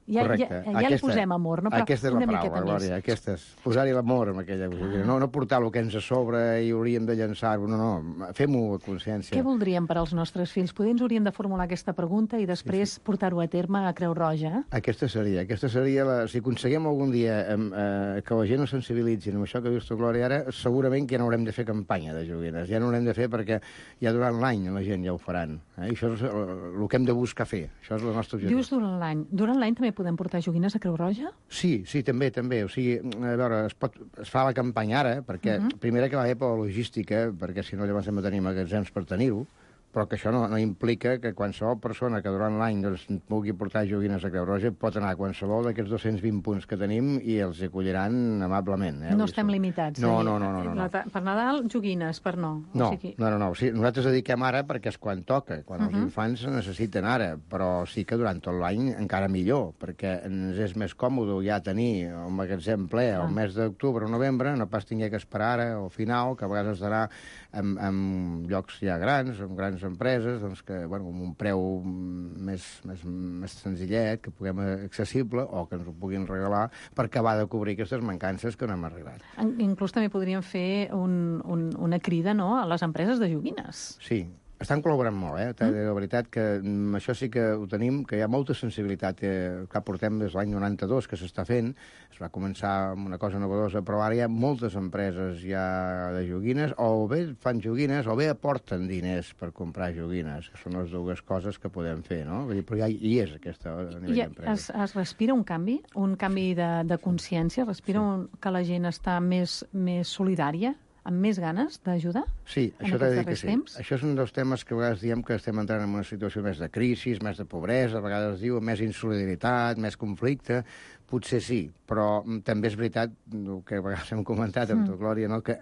Ja, Correcte. ja, ja aquesta, li posem amor, no? Però aquesta és la una paraula, miqueta Glòria, més. aquesta és posar-hi l'amor amb aquella joguina. No, no portar el que ens a sobre i hauríem de llançar-ho, no, no, fem-ho a consciència. Què voldríem per als nostres fills? Poder ens hauríem de formular aquesta pregunta i després sí, sí. portar-ho a terme a Creu Roja? Aquesta seria, aquesta seria la... Si aconseguim algun dia eh, que la gent es sensibilitzi amb això que dius tu, Glòria, ara segurament que ja no haurem de fer campanya de joguines, ja no haurem de fer perquè ja durant l'any la gent ja ho faran. Eh? I això és el, el que hem de buscar fer, això és el nostre objectiu. Dius durant l'any. Durant l'any també podem portar joguines a Creu Roja? Sí, sí, també, també. O sigui, a veure, es, pot, es fa la campanya ara, perquè uh -huh. primer que va bé per la logística, perquè si no llavors hem de tenir magatzems per tenir-ho, però que això no, no implica que qualsevol persona que durant l'any doncs, pugui portar joguines a Creu Roja pot anar a qualsevol d'aquests dos-cents vint punts que tenim i els acolliran amablement. Eh? No estem limitats. No, eh? no, no, no, no, no. Per Nadal, joguines, per no. No, o sigui... no, no, no. O sigui, nosaltres dediquem ara perquè és quan toca, quan uh -huh. els infants necessiten ara, però sí que durant tot l'any encara millor, perquè ens és més còmode ja tenir el magatzem ple al mes d'octubre o novembre, no pas tinguer que esperar ara al final, que a vegades has d'anar en, en llocs ja grans, en grans empreses, doncs que, bueno, amb un preu més, més, més senzillet, que puguem accessible, o que ens ho puguin regalar, per acabar de cobrir aquestes mancances que no hem arribat. Inclús també podríem fer un, un, una crida, no?, a les empreses de joguines. Sí, estan col·laborant molt, eh? Mm. De veritat que mm, això sí que ho tenim, que hi ha molta sensibilitat, eh, que portem des de l'any noranta-dos que s'està fent, es va començar amb una cosa novedosa, però ara hi ha moltes empreses ja de joguines, o bé fan joguines, o bé aporten diners per comprar joguines, que són les dues coses que podem fer, no? Vull dir, però ja hi és aquesta a nivell I d'empresa. es, es respira un canvi, un canvi de, de consciència, respira sí. un, que la gent està més, més solidària, amb més ganes d'ajudar? Sí, això t'he de dir que sí. Temps? Això és un dels temes que a vegades diem que estem entrant en una situació més de crisi, més de pobresa, a vegades diu més insolidaritat, més conflicte. Potser sí, però també és veritat, el que a vegades hem comentat amb tu, Glòria, no? Que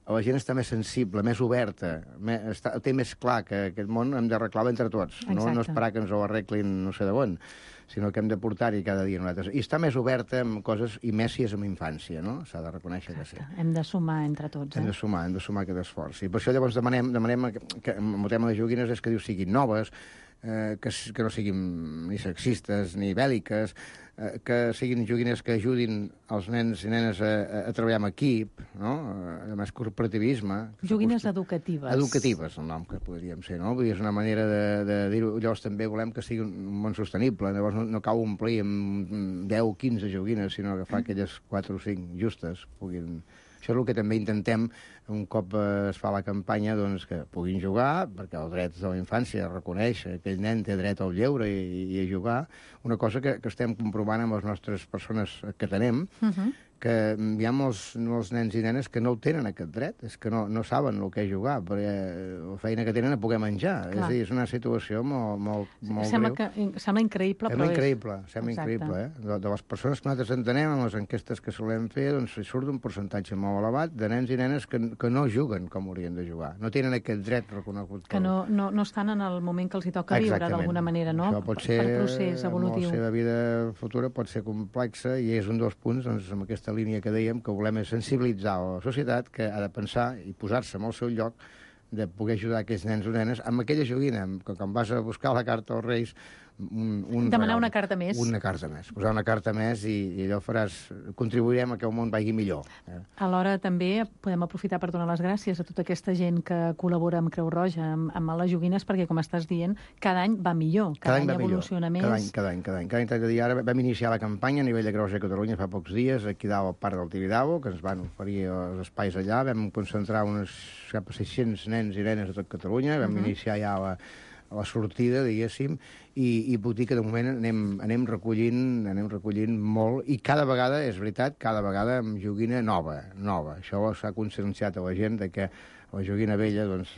la gent està més sensible, més oberta, més, està, té més clar que aquest món hem d'arreglar entre tots, no, no esperar que ens ho arreglin no sé de on, sinó que hem de portar-hi cada dia nosaltres. I està més oberta amb coses, i més si és amb infància, no? S'ha de reconèixer Exacte. que sí. Hem de sumar entre tots, eh? Hem de sumar, hem de sumar aquest esforç. I per això llavors demanem, demanem que, que amb el tema de joguines és que diu siguin noves, eh, que, que no siguin ni sexistes ni bèl·liques, eh, que siguin joguines que ajudin els nens i nenes a, a, a treballar en equip, no? A més corporativisme. Joguines educatives. Educatives, el nom que podríem ser, no? Vull dir, és una manera de, de dir-ho. Llavors també volem que sigui un món sostenible, llavors no, no cal omplir amb deu o quinze joguines, sinó agafar aquelles quatre o cinc justes puguin Això és el que també intentem, un cop es fa la campanya, doncs, que puguin jugar, perquè el dret de la infància reconeix que aquell nen té dret al lleure i, i a jugar, una cosa que, que estem comprovant amb les nostres persones que tenem, uh-huh. que hi ha molts, molts nens i nenes que no el tenen aquest dret, és que no, no saben el que és jugar, perquè la feina que tenen a poder menjar. Clar. És a dir, és una situació molt, molt, molt sembla greu. Que, sembla increïble, sembla però increïble, és... Sembla Exacte. increïble, eh? De, de les persones que nosaltres entenem, en les enquestes que solem fer, doncs surt un percentatge molt elevat de nens i nenes que, que no juguen com haurien de jugar. No tenen aquest dret reconegut. Que no, no, no estan en el moment que els hi toca Exactament. viure, d'alguna manera, no? Això pot ser, per procés evolutiu. amb la seva vida futura pot ser complexa i és un dels punts, doncs, amb aquesta línia que dèiem, que volem és sensibilitzar la societat que ha de pensar i posar-se en el seu lloc de poder ajudar aquests nens o nenes amb aquella joguina, que quan vas a buscar la carta als Reis, un, un demanar regal, una carta més. Una carta més. Posar una carta més i, i allò faràs... Contribuirem a que el món vagi millor. Eh? Alhora també podem aprofitar per donar les gràcies a tota aquesta gent que col·labora amb Creu Roja, amb, amb les joguines, perquè, com estàs dient, cada any va millor, cada, cada any, any evoluciona millor. més. Cada any, cada any, cada any. Cada any, dir, ara vam iniciar la campanya a nivell de Creu Roja de Catalunya fa pocs dies, aquí dalt al Parc del Tibidabo, que ens van oferir els espais allà. Vam concentrar uns cap a sis-cents nens i nenes de tot Catalunya. Vam uh -huh. iniciar ja la, la sortida, diguéssim, i, i puc dir que de moment anem, anem, recollint, anem recollint molt, i cada vegada, és veritat, cada vegada amb joguina nova, nova. Això s'ha conscienciat a la gent de que la joguina vella, doncs,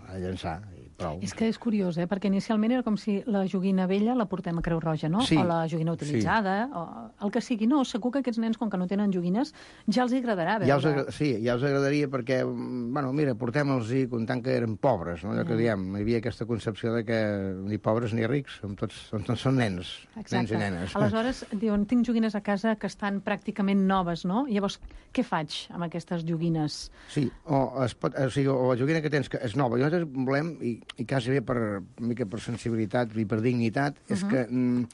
ha de llançar, i prou. És que és curiós, eh? Perquè inicialment era com si la joguina vella la portem a Creu Roja, no? Sí. O la joguina utilitzada, sí. o el que sigui. No, segur que aquests nens, com que no tenen joguines, ja els agradarà veure. Ja els agra... Sí, ja els agradaria perquè, bueno, mira, portem-los-hi comptant que eren pobres, no? Allò que diem, hi havia aquesta concepció de que ni pobres ni rics, som tots, són, tots són nens, Exacte. nens i nenes. Aleshores, diuen, tinc joguines a casa que estan pràcticament noves, no? Llavors, què faig amb aquestes joguines? Sí, o, es pot, o, sigui, o la joguina que tens que és nova. Nosaltres volem, i, i quasi bé per, una mica per sensibilitat i per dignitat, uh -huh. és que mm,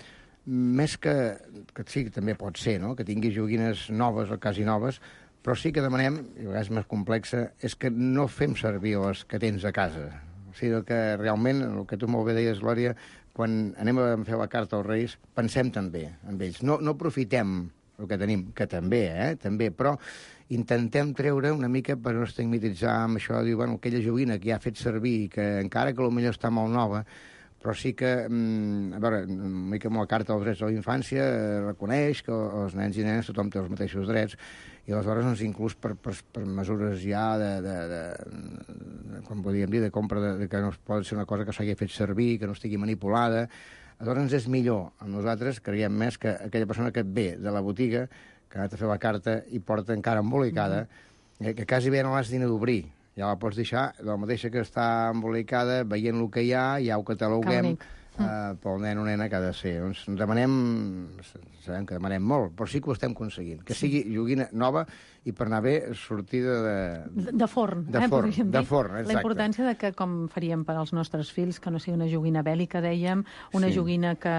més que, que sí, que també pot ser, no?, que tingui joguines noves o quasi noves, però sí que demanem, i a vegades més complexa, és que no fem servir les que tens a casa. O sigui, que realment, el que tu molt bé deies, Glòria, quan anem a fer la carta als Reis, pensem també en ells. No, no aprofitem el que tenim, que també, eh?, també, però intentem treure una mica per no estigmatitzar amb això, dir, bueno, aquella joguina que ja ha fet servir, que encara que potser està molt nova, però sí que, a veure, una mica amb la Carta dels Drets de la Infància eh, reconeix que els nens i nenes tothom té els mateixos drets, i aleshores, doncs, inclús per, per, per mesures ja de, de, de, de com podríem dir, de compra, de, de que no pot ser una cosa que s'hagi fet servir, que no estigui manipulada, aleshores és millor, amb nosaltres creiem més que aquella persona que et ve de la botiga, que ha anat a fer la carta i porta encara embolicada, mm-hmm. eh, que quasi bé no l'has ni d'obrir. Ja la pots deixar, la mateixa que està embolicada, veient el que hi ha, ja ho cataloguem eh, pel nen o nena que ha de ser. Doncs demanem, sabem que demanem molt, però sí que ho estem aconseguint. Que sigui joguina nova i per anar bé sortida de... De, de forn, de eh, forn, podríem de dir. forn, exacte. La importància de que, com faríem per als nostres fills, que no sigui una joguina bèl·lica, dèiem, una sí. joguina que,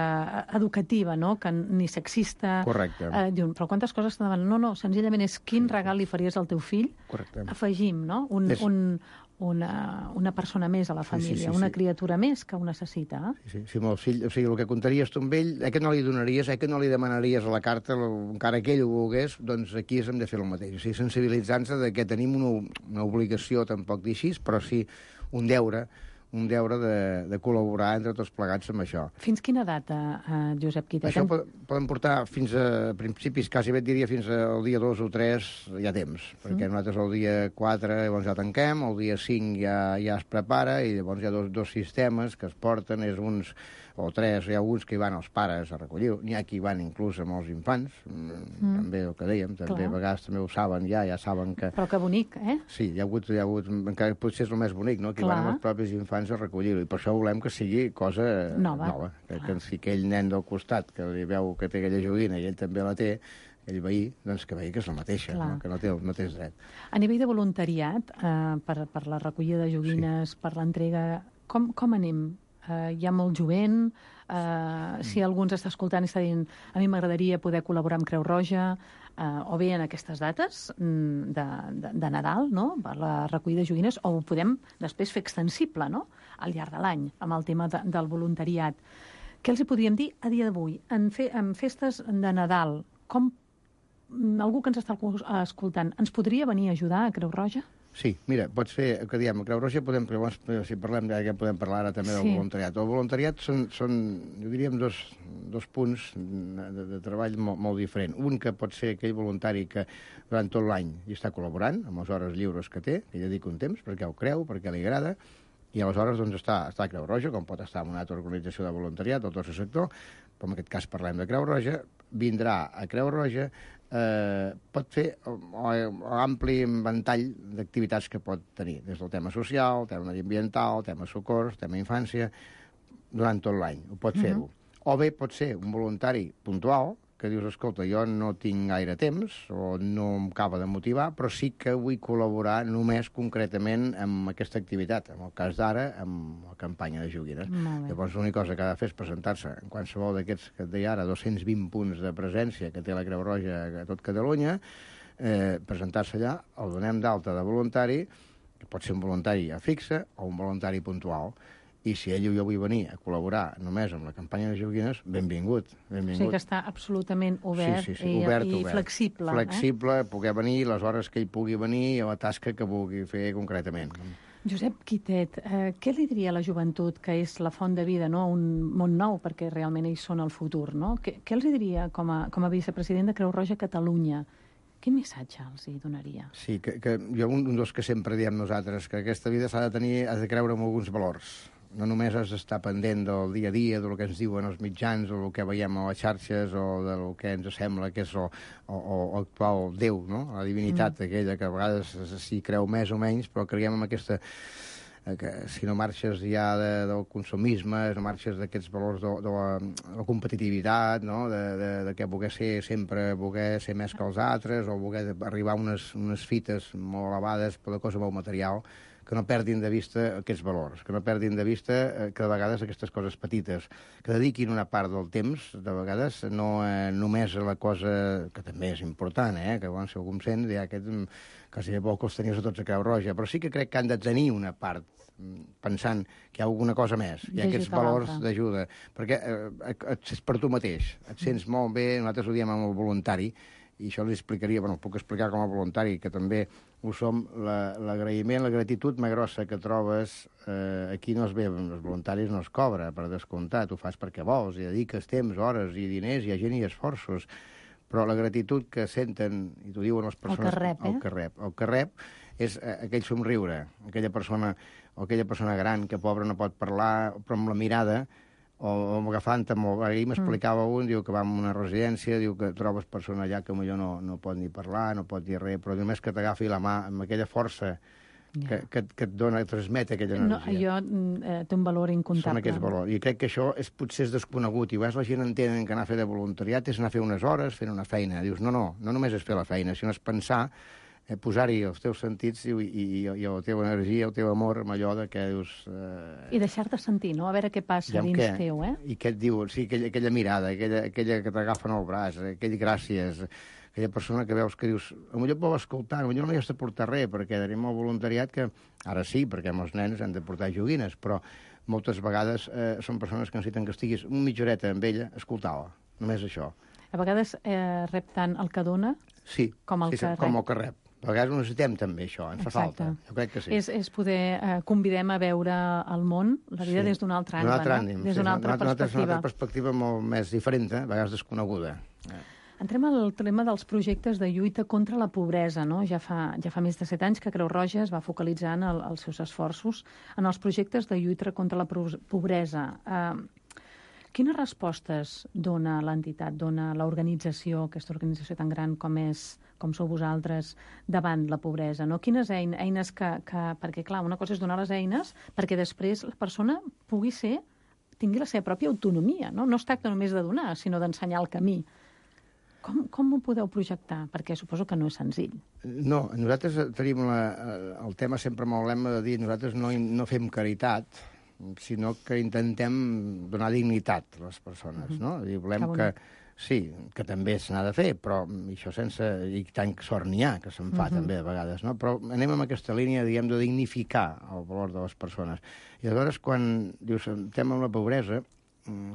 educativa, no?, que ni sexista. Correcte. Eh, diuen, però quantes coses t'han demanat? No, no, senzillament és quin regal li faries al teu fill? Correcte. Afegim, no?, un... És... un Una, una persona més a la família, sí, sí, sí, una sí. criatura més que ho necessita. Eh? Sí, sí, sí, molt fill, o sigui, el que contaries tu amb ell, eh, que no li donaries, eh, que no li demanaries a la carta, encara que ell ho volgués, doncs aquí hem de fer el mateix. O sigui, sensibilitzant-se de que tenim una, una obligació, tampoc dir així, però sí un deure, un deure de, de col·laborar entre tots plegats amb això. Fins quina data, eh, Josep Quitet? Això pot, poden portar fins a principis, quasi bé et diria fins al dia dos o tres hi ha temps, perquè mm. nosaltres el dia quatre llavors ja tanquem, el dia cinc ja, ja es prepara, i llavors hi ha dos, dos sistemes que es porten, és uns o tres, hi ha uns que hi van els pares a recollir, n'hi ha qui hi van inclús amb els infants, mm. també el que dèiem, també Clar. a vegades també ho saben ja, ja saben que... Però que bonic, eh? Sí, hi ha hagut, hi ha hagut encara potser és el més bonic, no?, que hi van amb els propis infants a recollir-ho, i per això volem que sigui cosa nova, nova. Que, que si aquell nen del costat que li veu que té aquella joguina i ell també la té, aquell veí, doncs que vegi que és la mateixa, no? Que no té el mateix dret. A nivell de voluntariat, eh, per, per la recollida de joguines, sí. per l'entrega, com, com anem? Uh, hi ha molt jovent, uh, si algú ens està escoltant i està dient a mi m'agradaria poder col·laborar amb Creu Roja, uh, o bé en aquestes dates de, de, de Nadal, no?, per la recollida de joguines, o ho podem després fer extensible, no?, al llarg de l'any, amb el tema de, del voluntariat. Què els hi podríem dir a dia d'avui? En, fe, en festes de Nadal, com algú que ens està escoltant, ens podria venir a ajudar a Creu Roja? Sí, mira, pots fer, que diem, a Creu Roja podem, si parlem, ja podem parlar ara també del Sí. voluntariat. El voluntariat són, són jo diríem, dos, dos punts de, de treball molt, molt diferent. Un que pot ser aquell voluntari que durant tot l'any hi està col·laborant, amb les hores lliures que té, que hi dedica un temps, perquè ho creu, perquè li agrada, i aleshores doncs, està, està a Creu Roja, com pot estar en una altra organització de voluntariat del tercer sector, però en aquest cas parlem de Creu Roja, vindrà a Creu Roja, eh, pot fer l'ampli ventall d'activitats que pot tenir, des del tema social, tema mediambiental, tema socors, tema infància, durant tot l'any, ho pot fer-ho. Uh -huh. O bé pot ser un voluntari puntual, que dius, escolta, jo no tinc gaire temps o no em acaba de motivar, però sí que vull col·laborar només concretament amb aquesta activitat, en el cas d'ara, amb la campanya de joguines. Llavors, l'única cosa que ha de fer és presentar-se en qualsevol d'aquests, que et deia ara, dos-cents vint punts de presència que té la Creu Roja a tot Catalunya, eh, presentar-se allà, el donem d'alta de voluntari, que pot ser un voluntari a fixe o un voluntari puntual. I si ell o jo vull venir a col·laborar només amb la campanya de joguines, benvingut, benvingut. O sigui que està absolutament obert, sí, sí, sí, i, obert, i obert. flexible. Flexible, eh? Poder venir les hores que ell pugui venir i la tasca que vulgui fer concretament. Josep Quitet, eh, què li diria a la joventut que és la font de vida, no? Un món nou, perquè realment ells són el futur, no? Què, què els diria com a, com a vicepresident de Creu Roja Catalunya? Quin missatge els hi donaria? Sí, que, que jo un, un dels que sempre diem nosaltres, que aquesta vida s'ha de tenir, has de creure en alguns valors. No només has d'estar pendent del dia a dia, del que ens diuen els mitjans, o el que veiem a les xarxes, o del que ens sembla que és el, o, o actual Déu, no? La divinitat mm. aquella, que a vegades s'hi creu més o menys, però creiem en aquesta... que si no marxes ja de, del consumisme, no marxes d'aquests valors de, de, la, de la competitivitat, no? de, de, de que voler ser sempre, voler ser més que els altres, o voler arribar a unes, unes fites molt elevades per la cosa molt material, que no perdin de vista aquests valors, que no perdin de vista que de vegades aquestes coses petites, que dediquin una part del temps, de vegades, no eh, només a la cosa que també és important, eh? que bueno, si algú em sent, ja aquest, quasi de bo que els tenies a tots a Creu Roja, però sí que crec que han de tenir una part pensant que hi ha alguna cosa més, hi ha aquests valors d'ajuda, perquè eh, és per tu mateix, et sents molt bé, nosaltres ho diem amb el voluntari, i això els explicaria, bueno, puc explicar com a voluntari, que també ho som, l'agraïment, la, la gratitud més grossa que trobes, eh, aquí no es ve, els voluntaris no es cobra, per descomptat, ho fas perquè vols, i dediques temps, hores i diners, i a gent i esforços, però la gratitud que senten, i t'ho diuen les persones... El que rep, eh? El que rep, el que rep és aquell somriure, aquella persona, o aquella persona gran que, pobra, no pot parlar, però amb la mirada, o, o agafant-te molt... Ahir m'explicava mm. un, diu que va a una residència, diu que trobes persona allà que potser no, no pot ni parlar, no pot dir res, però només que t'agafi la mà amb aquella força que, yeah. que, que et dona, et transmet aquella energia. No, jo, eh, té un valor incontable. Són aquests valors. I crec que això és, potser és desconegut. I a la gent entenen que anar a fer de voluntariat és anar a fer unes hores, fent una feina. Dius, no, no, no només és fer la feina, sinó és pensar, eh, posar-hi els teus sentits i, i, i, i la teva energia, el teu amor, amb allò de que dius... Eh... I deixar-te sentir, no? A veure què passa dins què? teu, eh? I què et diu? Sí, aquella, aquella mirada, aquella, aquella que t'agafen al braç, aquell gràcies, aquella persona que veus que dius, potser vol escoltar, potser no hi has de portar res, perquè tenim el voluntariat que, ara sí, perquè els nens han de portar joguines, però moltes vegades eh, són persones que necessiten que estiguis una mitja horeta amb ella, escoltar-la, només això. A vegades eh, rep tant el que dona sí, com el sí, que rep. Com el que rep. A vegades ho necessitem també, això, ens Exacte. fa falta. Jo crec que sí. És, és poder... Eh, convidem a veure el món, la vida sí. des d'un altre angle, altre no? ànim, Des d'una sí, altra perspectiva. Una altra perspectiva molt més diferent, eh? A vegades desconeguda. Eh. Entrem al tema dels projectes de lluita contra la pobresa, no? Ja fa, ja fa més de set anys que Creu Roja es va focalitzar en el, els seus esforços en els projectes de lluita contra la pobresa. Eh, quines respostes dona l'entitat, dona l'organització, aquesta organització tan gran com és, com sou vosaltres, davant la pobresa, no? Quines eines, eines que, que... Perquè, clar, una cosa és donar les eines perquè després la persona pugui ser, tingui la seva pròpia autonomia, no? No es tracta només de donar, sinó d'ensenyar el camí. Com, com ho podeu projectar? Perquè suposo que no és senzill. No, nosaltres tenim la, el tema sempre amb el lema de dir nosaltres no, no fem caritat, sinó que intentem donar dignitat a les persones, mm-hmm. no? I volem que, sí, que també se n'ha de fer, però això sense... I tant sort n'hi ha, que se'n fa mm-hmm. també a vegades, no? Però anem amb aquesta línia, diguem, de dignificar el valor de les persones. I aleshores, quan dius, estem amb la pobresa,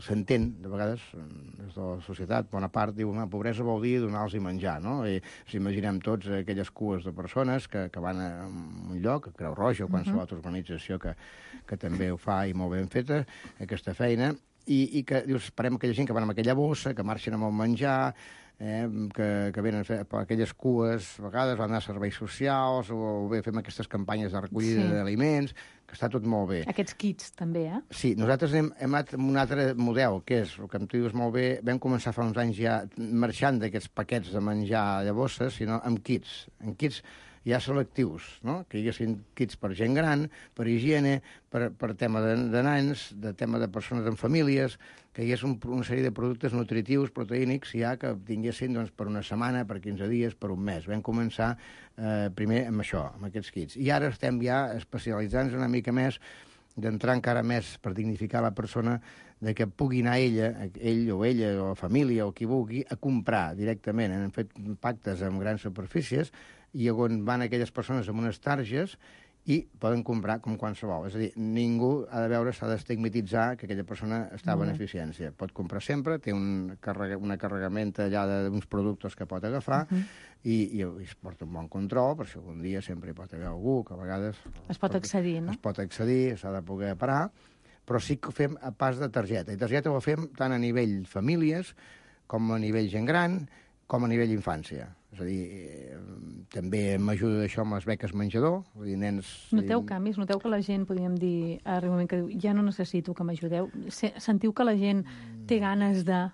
s'entén, de vegades, des de la societat, bona part, diu, la pobresa vol dir donar-los menjar, no? I ens imaginem tots aquelles cues de persones que, que van a un lloc, a Creu Roja o qualsevol uh -huh. altra organització que, que també ho fa i molt ben feta, aquesta feina, i, i que, dius, esperem aquella gent que van amb aquella bossa, que marxen amb el menjar, eh, que, que venen per aquelles cues, a vegades van anar a serveis socials, o bé fem aquestes campanyes de recollida sí. d'aliments, que està tot molt bé. Aquests kits, també, eh? Sí, nosaltres hem, hem anat amb un altre model, que és, el que em dius molt bé, vam començar fa uns anys ja marxant d'aquests paquets de menjar de bosses, sinó amb kits, amb kits ja selectius, no? Que hi haguessin kits per gent gran, per higiene, per, per tema de, de nans, de tema de persones amb famílies, que hi hagués un, una sèrie de productes nutritius, proteínics, ja que tinguessin doncs, per una setmana, per quinze dies, per un mes. Vam començar eh, primer amb això, amb aquests kits. I ara estem ja especialitzant-nos una mica més, d'entrar encara més per dignificar la persona, de que pugui anar ella, ell o ella, o la família, o qui vulgui, a comprar directament. Hem fet pactes amb grans superfícies, i on van aquelles persones amb unes targes i poden comprar com qualsevol. És a dir, ningú ha de veure, s'ha d'estigmatitzar que aquella persona està a beneficència. Pot comprar sempre, té un carrega, una carregamenta allà d'uns productes que pot agafar uh -huh. i, i, i es porta un bon control, per si algun dia sempre hi pot haver algú que a vegades... Es pot accedir, no? Es pot accedir, s'ha de poder parar, però sí que ho fem a pas de targeta. I targeta ho fem tant a nivell famílies com a nivell gent gran, com a nivell infància. És a dir, eh, també m'ajuda això amb les beques menjador. Vull dir, nens... Noteu canvis? Noteu que la gent, podríem dir, arriba un moment que diu, ja no necessito que m'ajudeu? Sentiu que la gent té ganes de...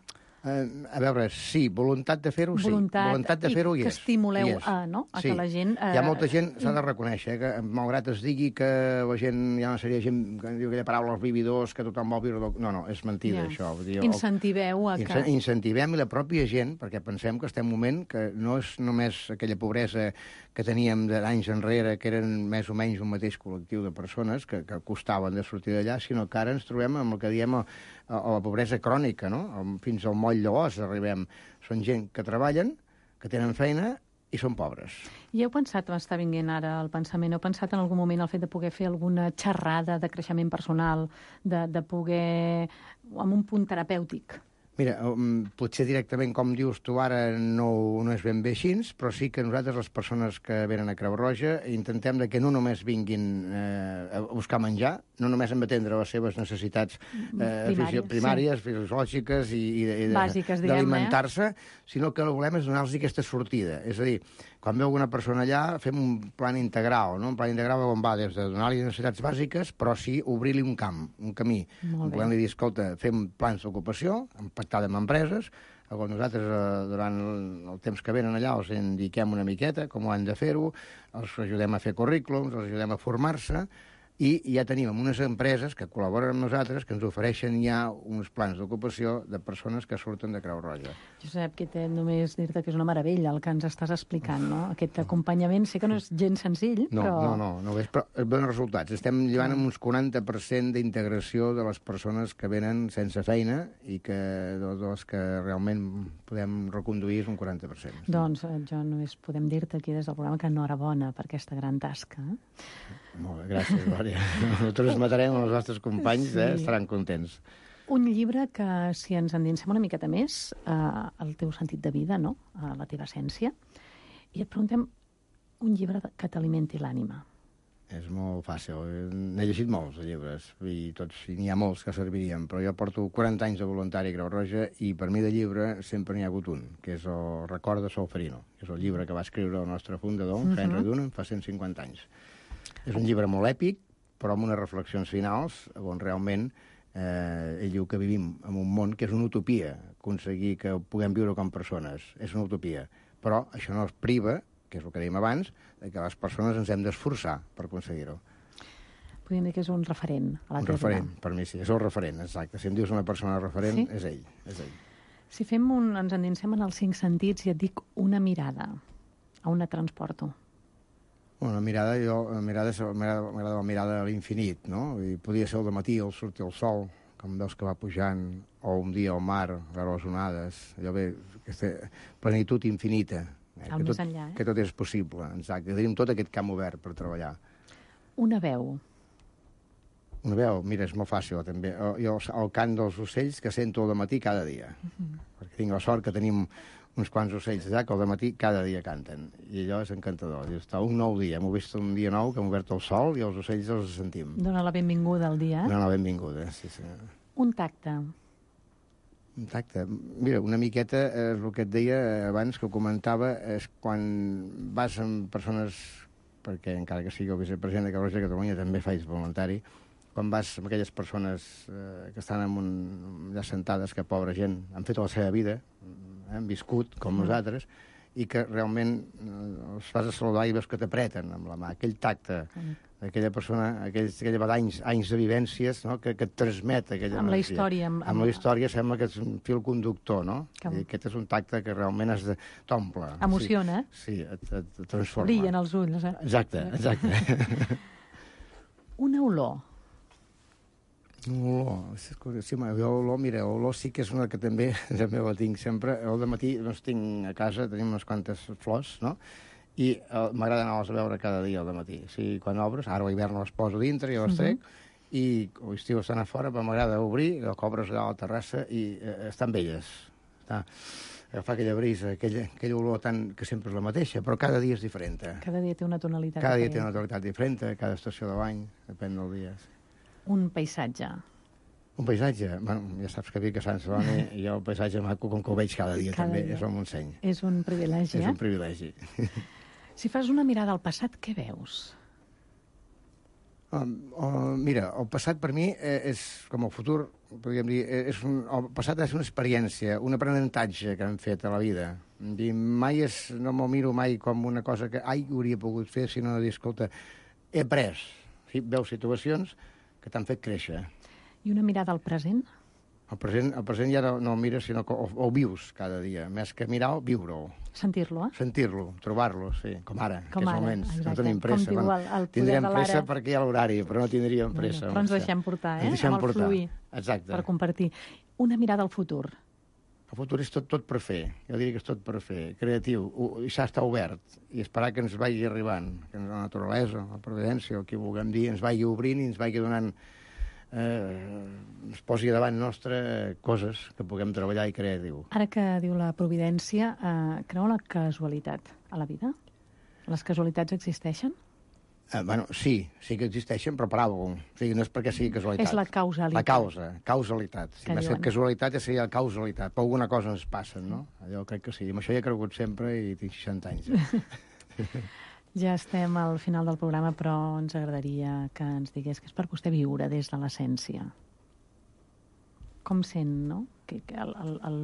Uh, a veure, sí, voluntat de fer-ho, sí. Voluntat, voluntat de fer-ho i hi és. que estimuleu és. a, no? a sí. que la gent... Uh... Hi ha molta gent, s'ha de reconèixer, eh, que malgrat es digui que la gent, hi ha una sèrie de gent que diu aquella paraula, els vividors, que tothom vol viure... No, no, és mentida, ja. això. Vull dir, incentiveu a que... Incentivem i la pròpia gent, perquè pensem que estem en un moment que no és només aquella pobresa que teníem d'anys enrere, que eren més o menys un mateix col·lectiu de persones que, que costaven de sortir d'allà, sinó que ara ens trobem amb el que diem a, a la pobresa crònica, no? Fins al moll de l'os arribem. Són gent que treballen, que tenen feina i són pobres. I heu pensat, m'està vinguent ara el pensament, heu pensat en algun moment el fet de poder fer alguna xerrada de creixement personal, de, de poder... amb un punt terapèutic? Mira, um, potser directament, com dius tu ara, no, no és ben bé així, però sí que nosaltres, les persones que venen a Creu Roja, intentem de que no només vinguin eh, a buscar menjar, no només hem d'atendre les seves necessitats eh, primàries, primàries sí. fisiològiques i, i, i d'alimentar-se, eh? sinó que el que volem és donar-los aquesta sortida. És a dir, quan veu alguna persona allà, fem un plan integral, no? Un plan integral on va des de donar-li necessitats bàsiques, però sí obrir-li un camp, un camí. Volem-li dir, escolta, fem plans d'ocupació, pactada amb empreses, on nosaltres, eh, durant el, el temps que venen allà, els indiquem una miqueta com ho han de fer-ho, els ajudem a fer currículums, els ajudem a formar-se, i ja tenim unes empreses que col·laboren amb nosaltres que ens ofereixen ja uns plans d'ocupació de persones que surten de Creu Roja. Josep, que té només dir-te que és una meravella el que ens estàs explicant, no? Aquest acompanyament, sé que no és gens senzill, no, però... No, no, no, no és, però es veuen resultats. Estem llevant amb uns quaranta per cent d'integració de les persones que venen sense feina i que de les que realment podem reconduir és un quaranta per cent. Doncs jo només podem dir-te aquí des del programa que enhorabona per aquesta gran tasca. Eh? Molt bé, gràcies, Glòria. Ho transmetrem als nostres companys, sí. eh? Estaran contents. Un llibre que, si ens endinsem una miqueta més, eh, el teu sentit de vida, no? A la teva essència, i et preguntem un llibre que t'alimenti l'ànima. És molt fàcil. N'he llegit molts, de llibres, i tots, i n'hi ha molts que servirien, però jo porto quaranta anys de voluntari a Creu Roja i per mi de llibre sempre n'hi ha hagut un, que és el Record de Solferino, que és el llibre que va escriure el nostre fundador, uh-huh. Henry Dunham, fa cent cinquanta anys. És un llibre molt èpic, però amb unes reflexions finals, on realment eh, ell diu que vivim en un món que és una utopia, aconseguir que puguem viure com persones. És una utopia. Però això no es priva, que és el que dèiem abans, de que les persones ens hem d'esforçar per aconseguir-ho. Podríem dir que és un referent a la Un referent, per mi sí, és el referent, exacte. Si em dius una persona referent, sí? és ell, és ell. Si fem un, ens endinsem en els cinc sentits i et dic una mirada, a on et transporto? Bueno, la mirada, jo, la mirada, m'agrada la mirada a l'infinit, no? I podia ser el dematí, al sortir el sol, com veus que va pujant, o un dia al mar, veure les onades, allò bé, aquesta plenitud infinita. Eh, el més enllà, eh? Que tot és possible, exacte. Tenim tot aquest camp obert per treballar. Una veu. Una veu, mira, és molt fàcil, també. Jo el cant dels ocells que sento al matí cada dia. Uh-huh. Perquè tinc la sort que tenim uns quants ocells allà que al matí cada dia canten. I allò és encantador. I està un nou dia. Hem vist un dia nou que hem obert el sol i els ocells els sentim. Dóna la benvinguda al dia. Dóna la benvinguda, sí, sí. Un tacte. Un tacte. Mira, una miqueta, eh, el que et deia abans, que ho comentava, és quan vas amb persones, perquè encara que sigui el vicepresident de Creu Roja de Catalunya també faig voluntari, quan vas amb aquelles persones eh, que estan en un, allà sentades, que pobra gent, han fet la seva vida, eh, han viscut com nosaltres, i que realment eh, els fas a saludar i veus que t'apreten amb la mà. Aquell tacte d'aquella persona, aquells, aquella vegada anys, anys de vivències, no?, que, que et transmet aquella amb energia. La història. Amb, amb la història sembla que és un fil conductor, no? Que... I aquest és un tacte que realment has de... t'omple. Emociona. Sí, sí, et, et transforma. Brillen els ulls, eh? Exacte, exacte. Una olor. Olor, sí, jo olor, mira, olor sí que és una que també, també la tinc sempre. El dematí, doncs, tinc a casa, tenim unes quantes flors, no?, i eh, m'agrada anar-les a veure cada dia al dematí. O sigui, quan obres, ara a l'hivern les poso dintre i les trec, uh -huh. i a l'estiu estan a fora, però m'agrada obrir, que obres allà a la terrassa i eh, estan belles. Està, agafar aquella brisa, aquella, aquella olor tan, que sempre és la mateixa, però cada dia és diferent. Cada dia té una tonalitat cada diferent. Cada dia té una tonalitat diferent, cada estació de l'any, depèn del dia. Un paisatge. Un paisatge? Bueno, ja saps que vinc a Sant Celoni i jo el paisatge maco, com que ho veig cada dia cada també, dia. És el Montseny. És un privilegi, eh? És un privilegi. Si fas una mirada al passat, què veus? Um, uh, mira, el passat per mi és com el futur, podríem dir, és un, el passat és una experiència, un aprenentatge que hem fet a la vida. I mai és, no m'ho miro mai com una cosa que, ai, hauria pogut fer, sinó de dir, escolta, he après. Sí, veus situacions que t'han fet créixer. I una mirada al present? El present, el present ja no, no el mires, sinó que el, el vius cada dia. Més que mirar-ho, viure-ho. Sentir-lo, eh? Sentir-lo, trobar-lo, sí, com ara, com aquests ara, moments. exacte. No tenim pressa. Com diu el, el tindríem poder de pressa l'ara. perquè hi ha l'horari, però no tindríem pressa. Bueno, però ens deixem portar, eh? Ens deixem amb el portar. fluir. Exacte. Per compartir. Una mirada al futur. El futur és tot, tot per fer. Jo diria que és tot per fer. Creatiu. I s'ha d'estar obert. I esperar que ens vagi arribant. Que la naturalesa, la providència, el que vulguem dir, ens vagi obrint i ens vagi donant... Eh, ens posi davant nostre coses que puguem treballar i creatiu. Ara que diu la providència, eh, creu la casualitat a la vida? Les casualitats existeixen? Eh, bueno, sí, sí que existeixen, però per alguna cosa. O sigui, no és perquè sigui casualitat. És la causalitat. La causa, causalitat. Si més que casualitat ja seria causalitat, però alguna cosa ens passa, no? Allò crec que sí. Amb això hi he cregut sempre i tinc seixanta anys. Eh? Ja estem al final del programa, però ens agradaria que ens digués que és per vostè viure des de l'essència. Com sent, no? Que, que el, el, el,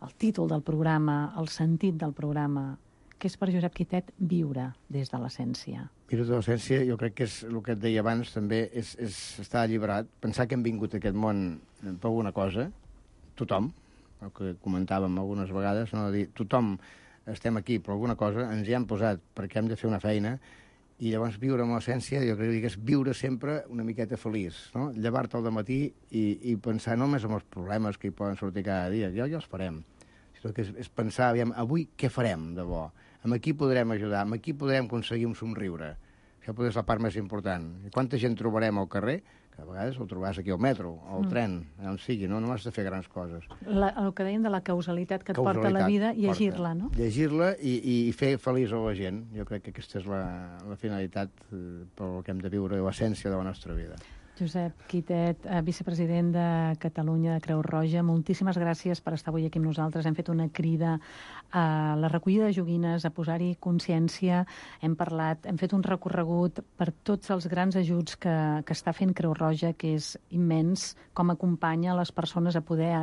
el títol del programa, el sentit del programa, que és per Josep Quitet viure des de l'essència. Viure des de l'essència, jo crec que és el que et deia abans, també, és, és estar alliberat, pensar que hem vingut a aquest món per alguna cosa, tothom, el que comentàvem algunes vegades, no? Dir, tothom estem aquí per alguna cosa, ens hi hem posat perquè hem de fer una feina, i llavors viure amb l'essència, jo crec que és viure sempre una miqueta feliç, no? Llevar-te al dematí i, i pensar no només en els problemes que hi poden sortir cada dia, ja, ja els farem, sinó que és, és pensar, aviam, avui què farem de bo? Amb qui podrem ajudar? Amb qui podrem aconseguir un somriure? Això potser és la part més important. I quanta gent trobarem al carrer? Que a vegades el trobaràs aquí al metro, al mm. tren, on sigui, no? No has de fer grans coses. La, el que deien de la causalitat que et causalitat, porta la vida, llegir-la, no? Llegir-la i, i fer feliç a la gent. Jo crec que aquesta és la, la finalitat eh, pel que hem de viure, l'essència de la nostra vida. Josep Quitet, vicepresident de Catalunya de Creu Roja, moltíssimes gràcies per estar avui aquí amb nosaltres. Hem fet una crida a la recollida de joguines, a posar-hi consciència. Hem parlat, hem fet un recorregut per tots els grans ajuts que, que està fent Creu Roja, que és immens, com acompanya les persones a poder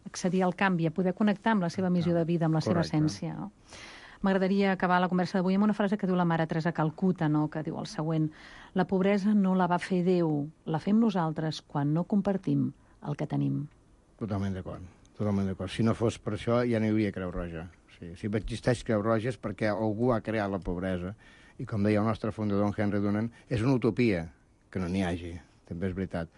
accedir al canvi, a poder connectar amb la seva missió de vida, amb la seva essència, no? M'agradaria acabar la conversa d'avui amb una frase que diu la mare Teresa Calcuta, no? Que diu el següent: la pobresa no la va fer Déu, la fem nosaltres quan no compartim el que tenim. Totalment d'acord, totalment d'acord. Si no fos per això, ja no hi hauria Creu Roja. Sí, si existeix Creu Roja és perquè algú ha creat la pobresa. I com deia el nostre fundador, Henry Dunant, és una utopia que no n'hi hagi, també és veritat.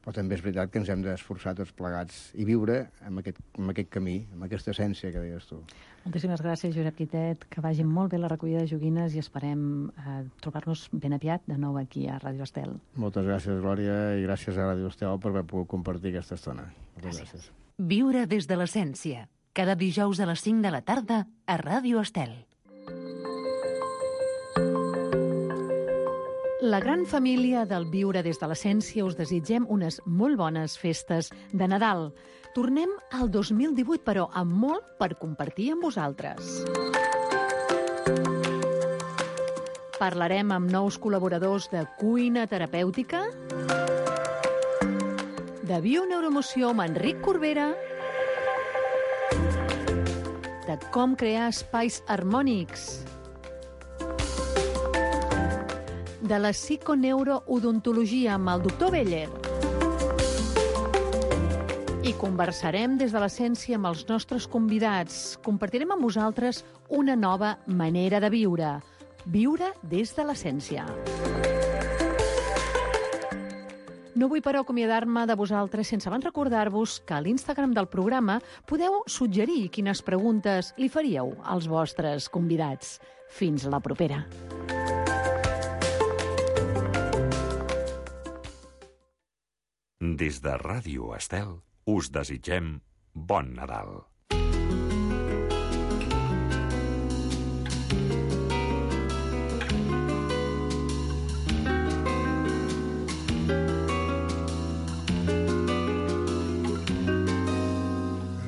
però també és veritat que ens hem d'esforçar tots plegats i viure amb aquest, amb aquest camí, amb aquesta essència que deies tu. Moltíssimes gràcies, Josep Guitet, que vagi molt bé la recollida de joguines i esperem eh, trobar-nos ben aviat de nou aquí a Ràdio Estel. Moltes gràcies, Glòria, i gràcies a Ràdio Estel per haver pogut compartir aquesta estona. Moltes gràcies. Viure des de l'essència. Cada dijous a les cinc de la tarda a Ràdio Estel. La gran família del Viure des de l'essència us desitgem unes molt bones festes de Nadal. Tornem al dos mil divuit, però amb molt per compartir amb vosaltres. Parlarem amb nous col·laboradors de cuina terapèutica, de bioneuroemoció amb Enric Corbera, de com crear espais harmònics, de la psiconeuroodontologia amb el doctor Beller. I conversarem des de l'essència amb els nostres convidats. Compartirem amb vosaltres una nova manera de viure. Viure des de l'essència. No vull, però, acomiadar-me de vosaltres sense abans recordar-vos que a l'Instagram del programa podeu suggerir quines preguntes li faríeu als vostres convidats. Fins la propera. Des de Ràdio Estel us desitgem bon Nadal.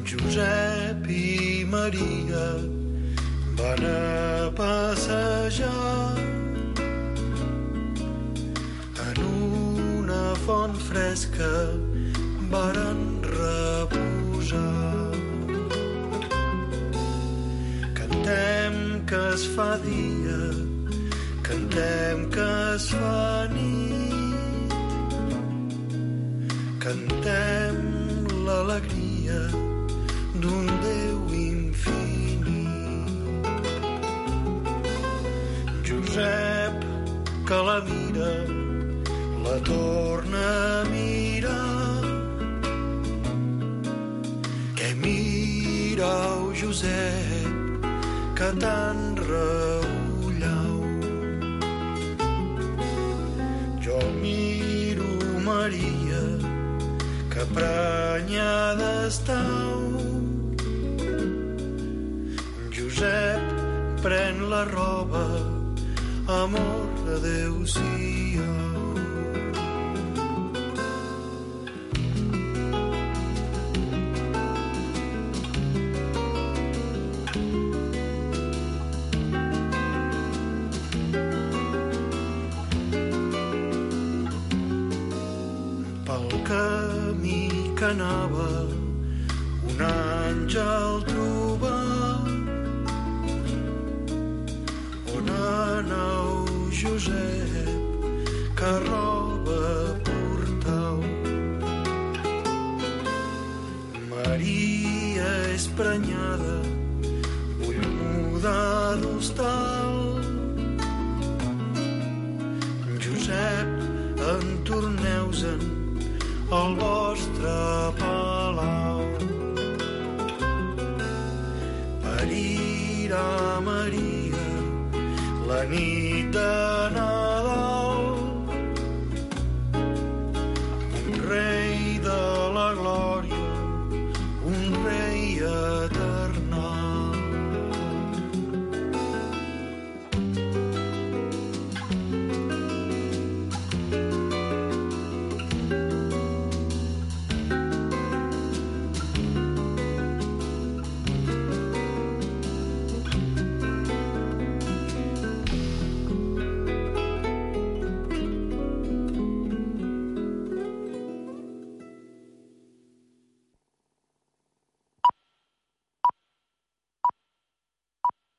Josep i Maria van a passejar en una font fresca, varen reposar. Cantem que es fa dia, cantem que es fa nit, cantem l'alegria d'un Déu infinit. Josep, que la mira, la torna a mirar. Què mirau, Josep, que tan reullau. Jo miro Maria, que prenyada estau. Josep, pren la roba, amor, adéu-siau. Que anava un àngel trobar. On anau, Josep, que roba portau? Maria és prenyada, vull mudar d'hostal. Josep, en torneu-se'n al vostre palau. Parirà Maria la nit de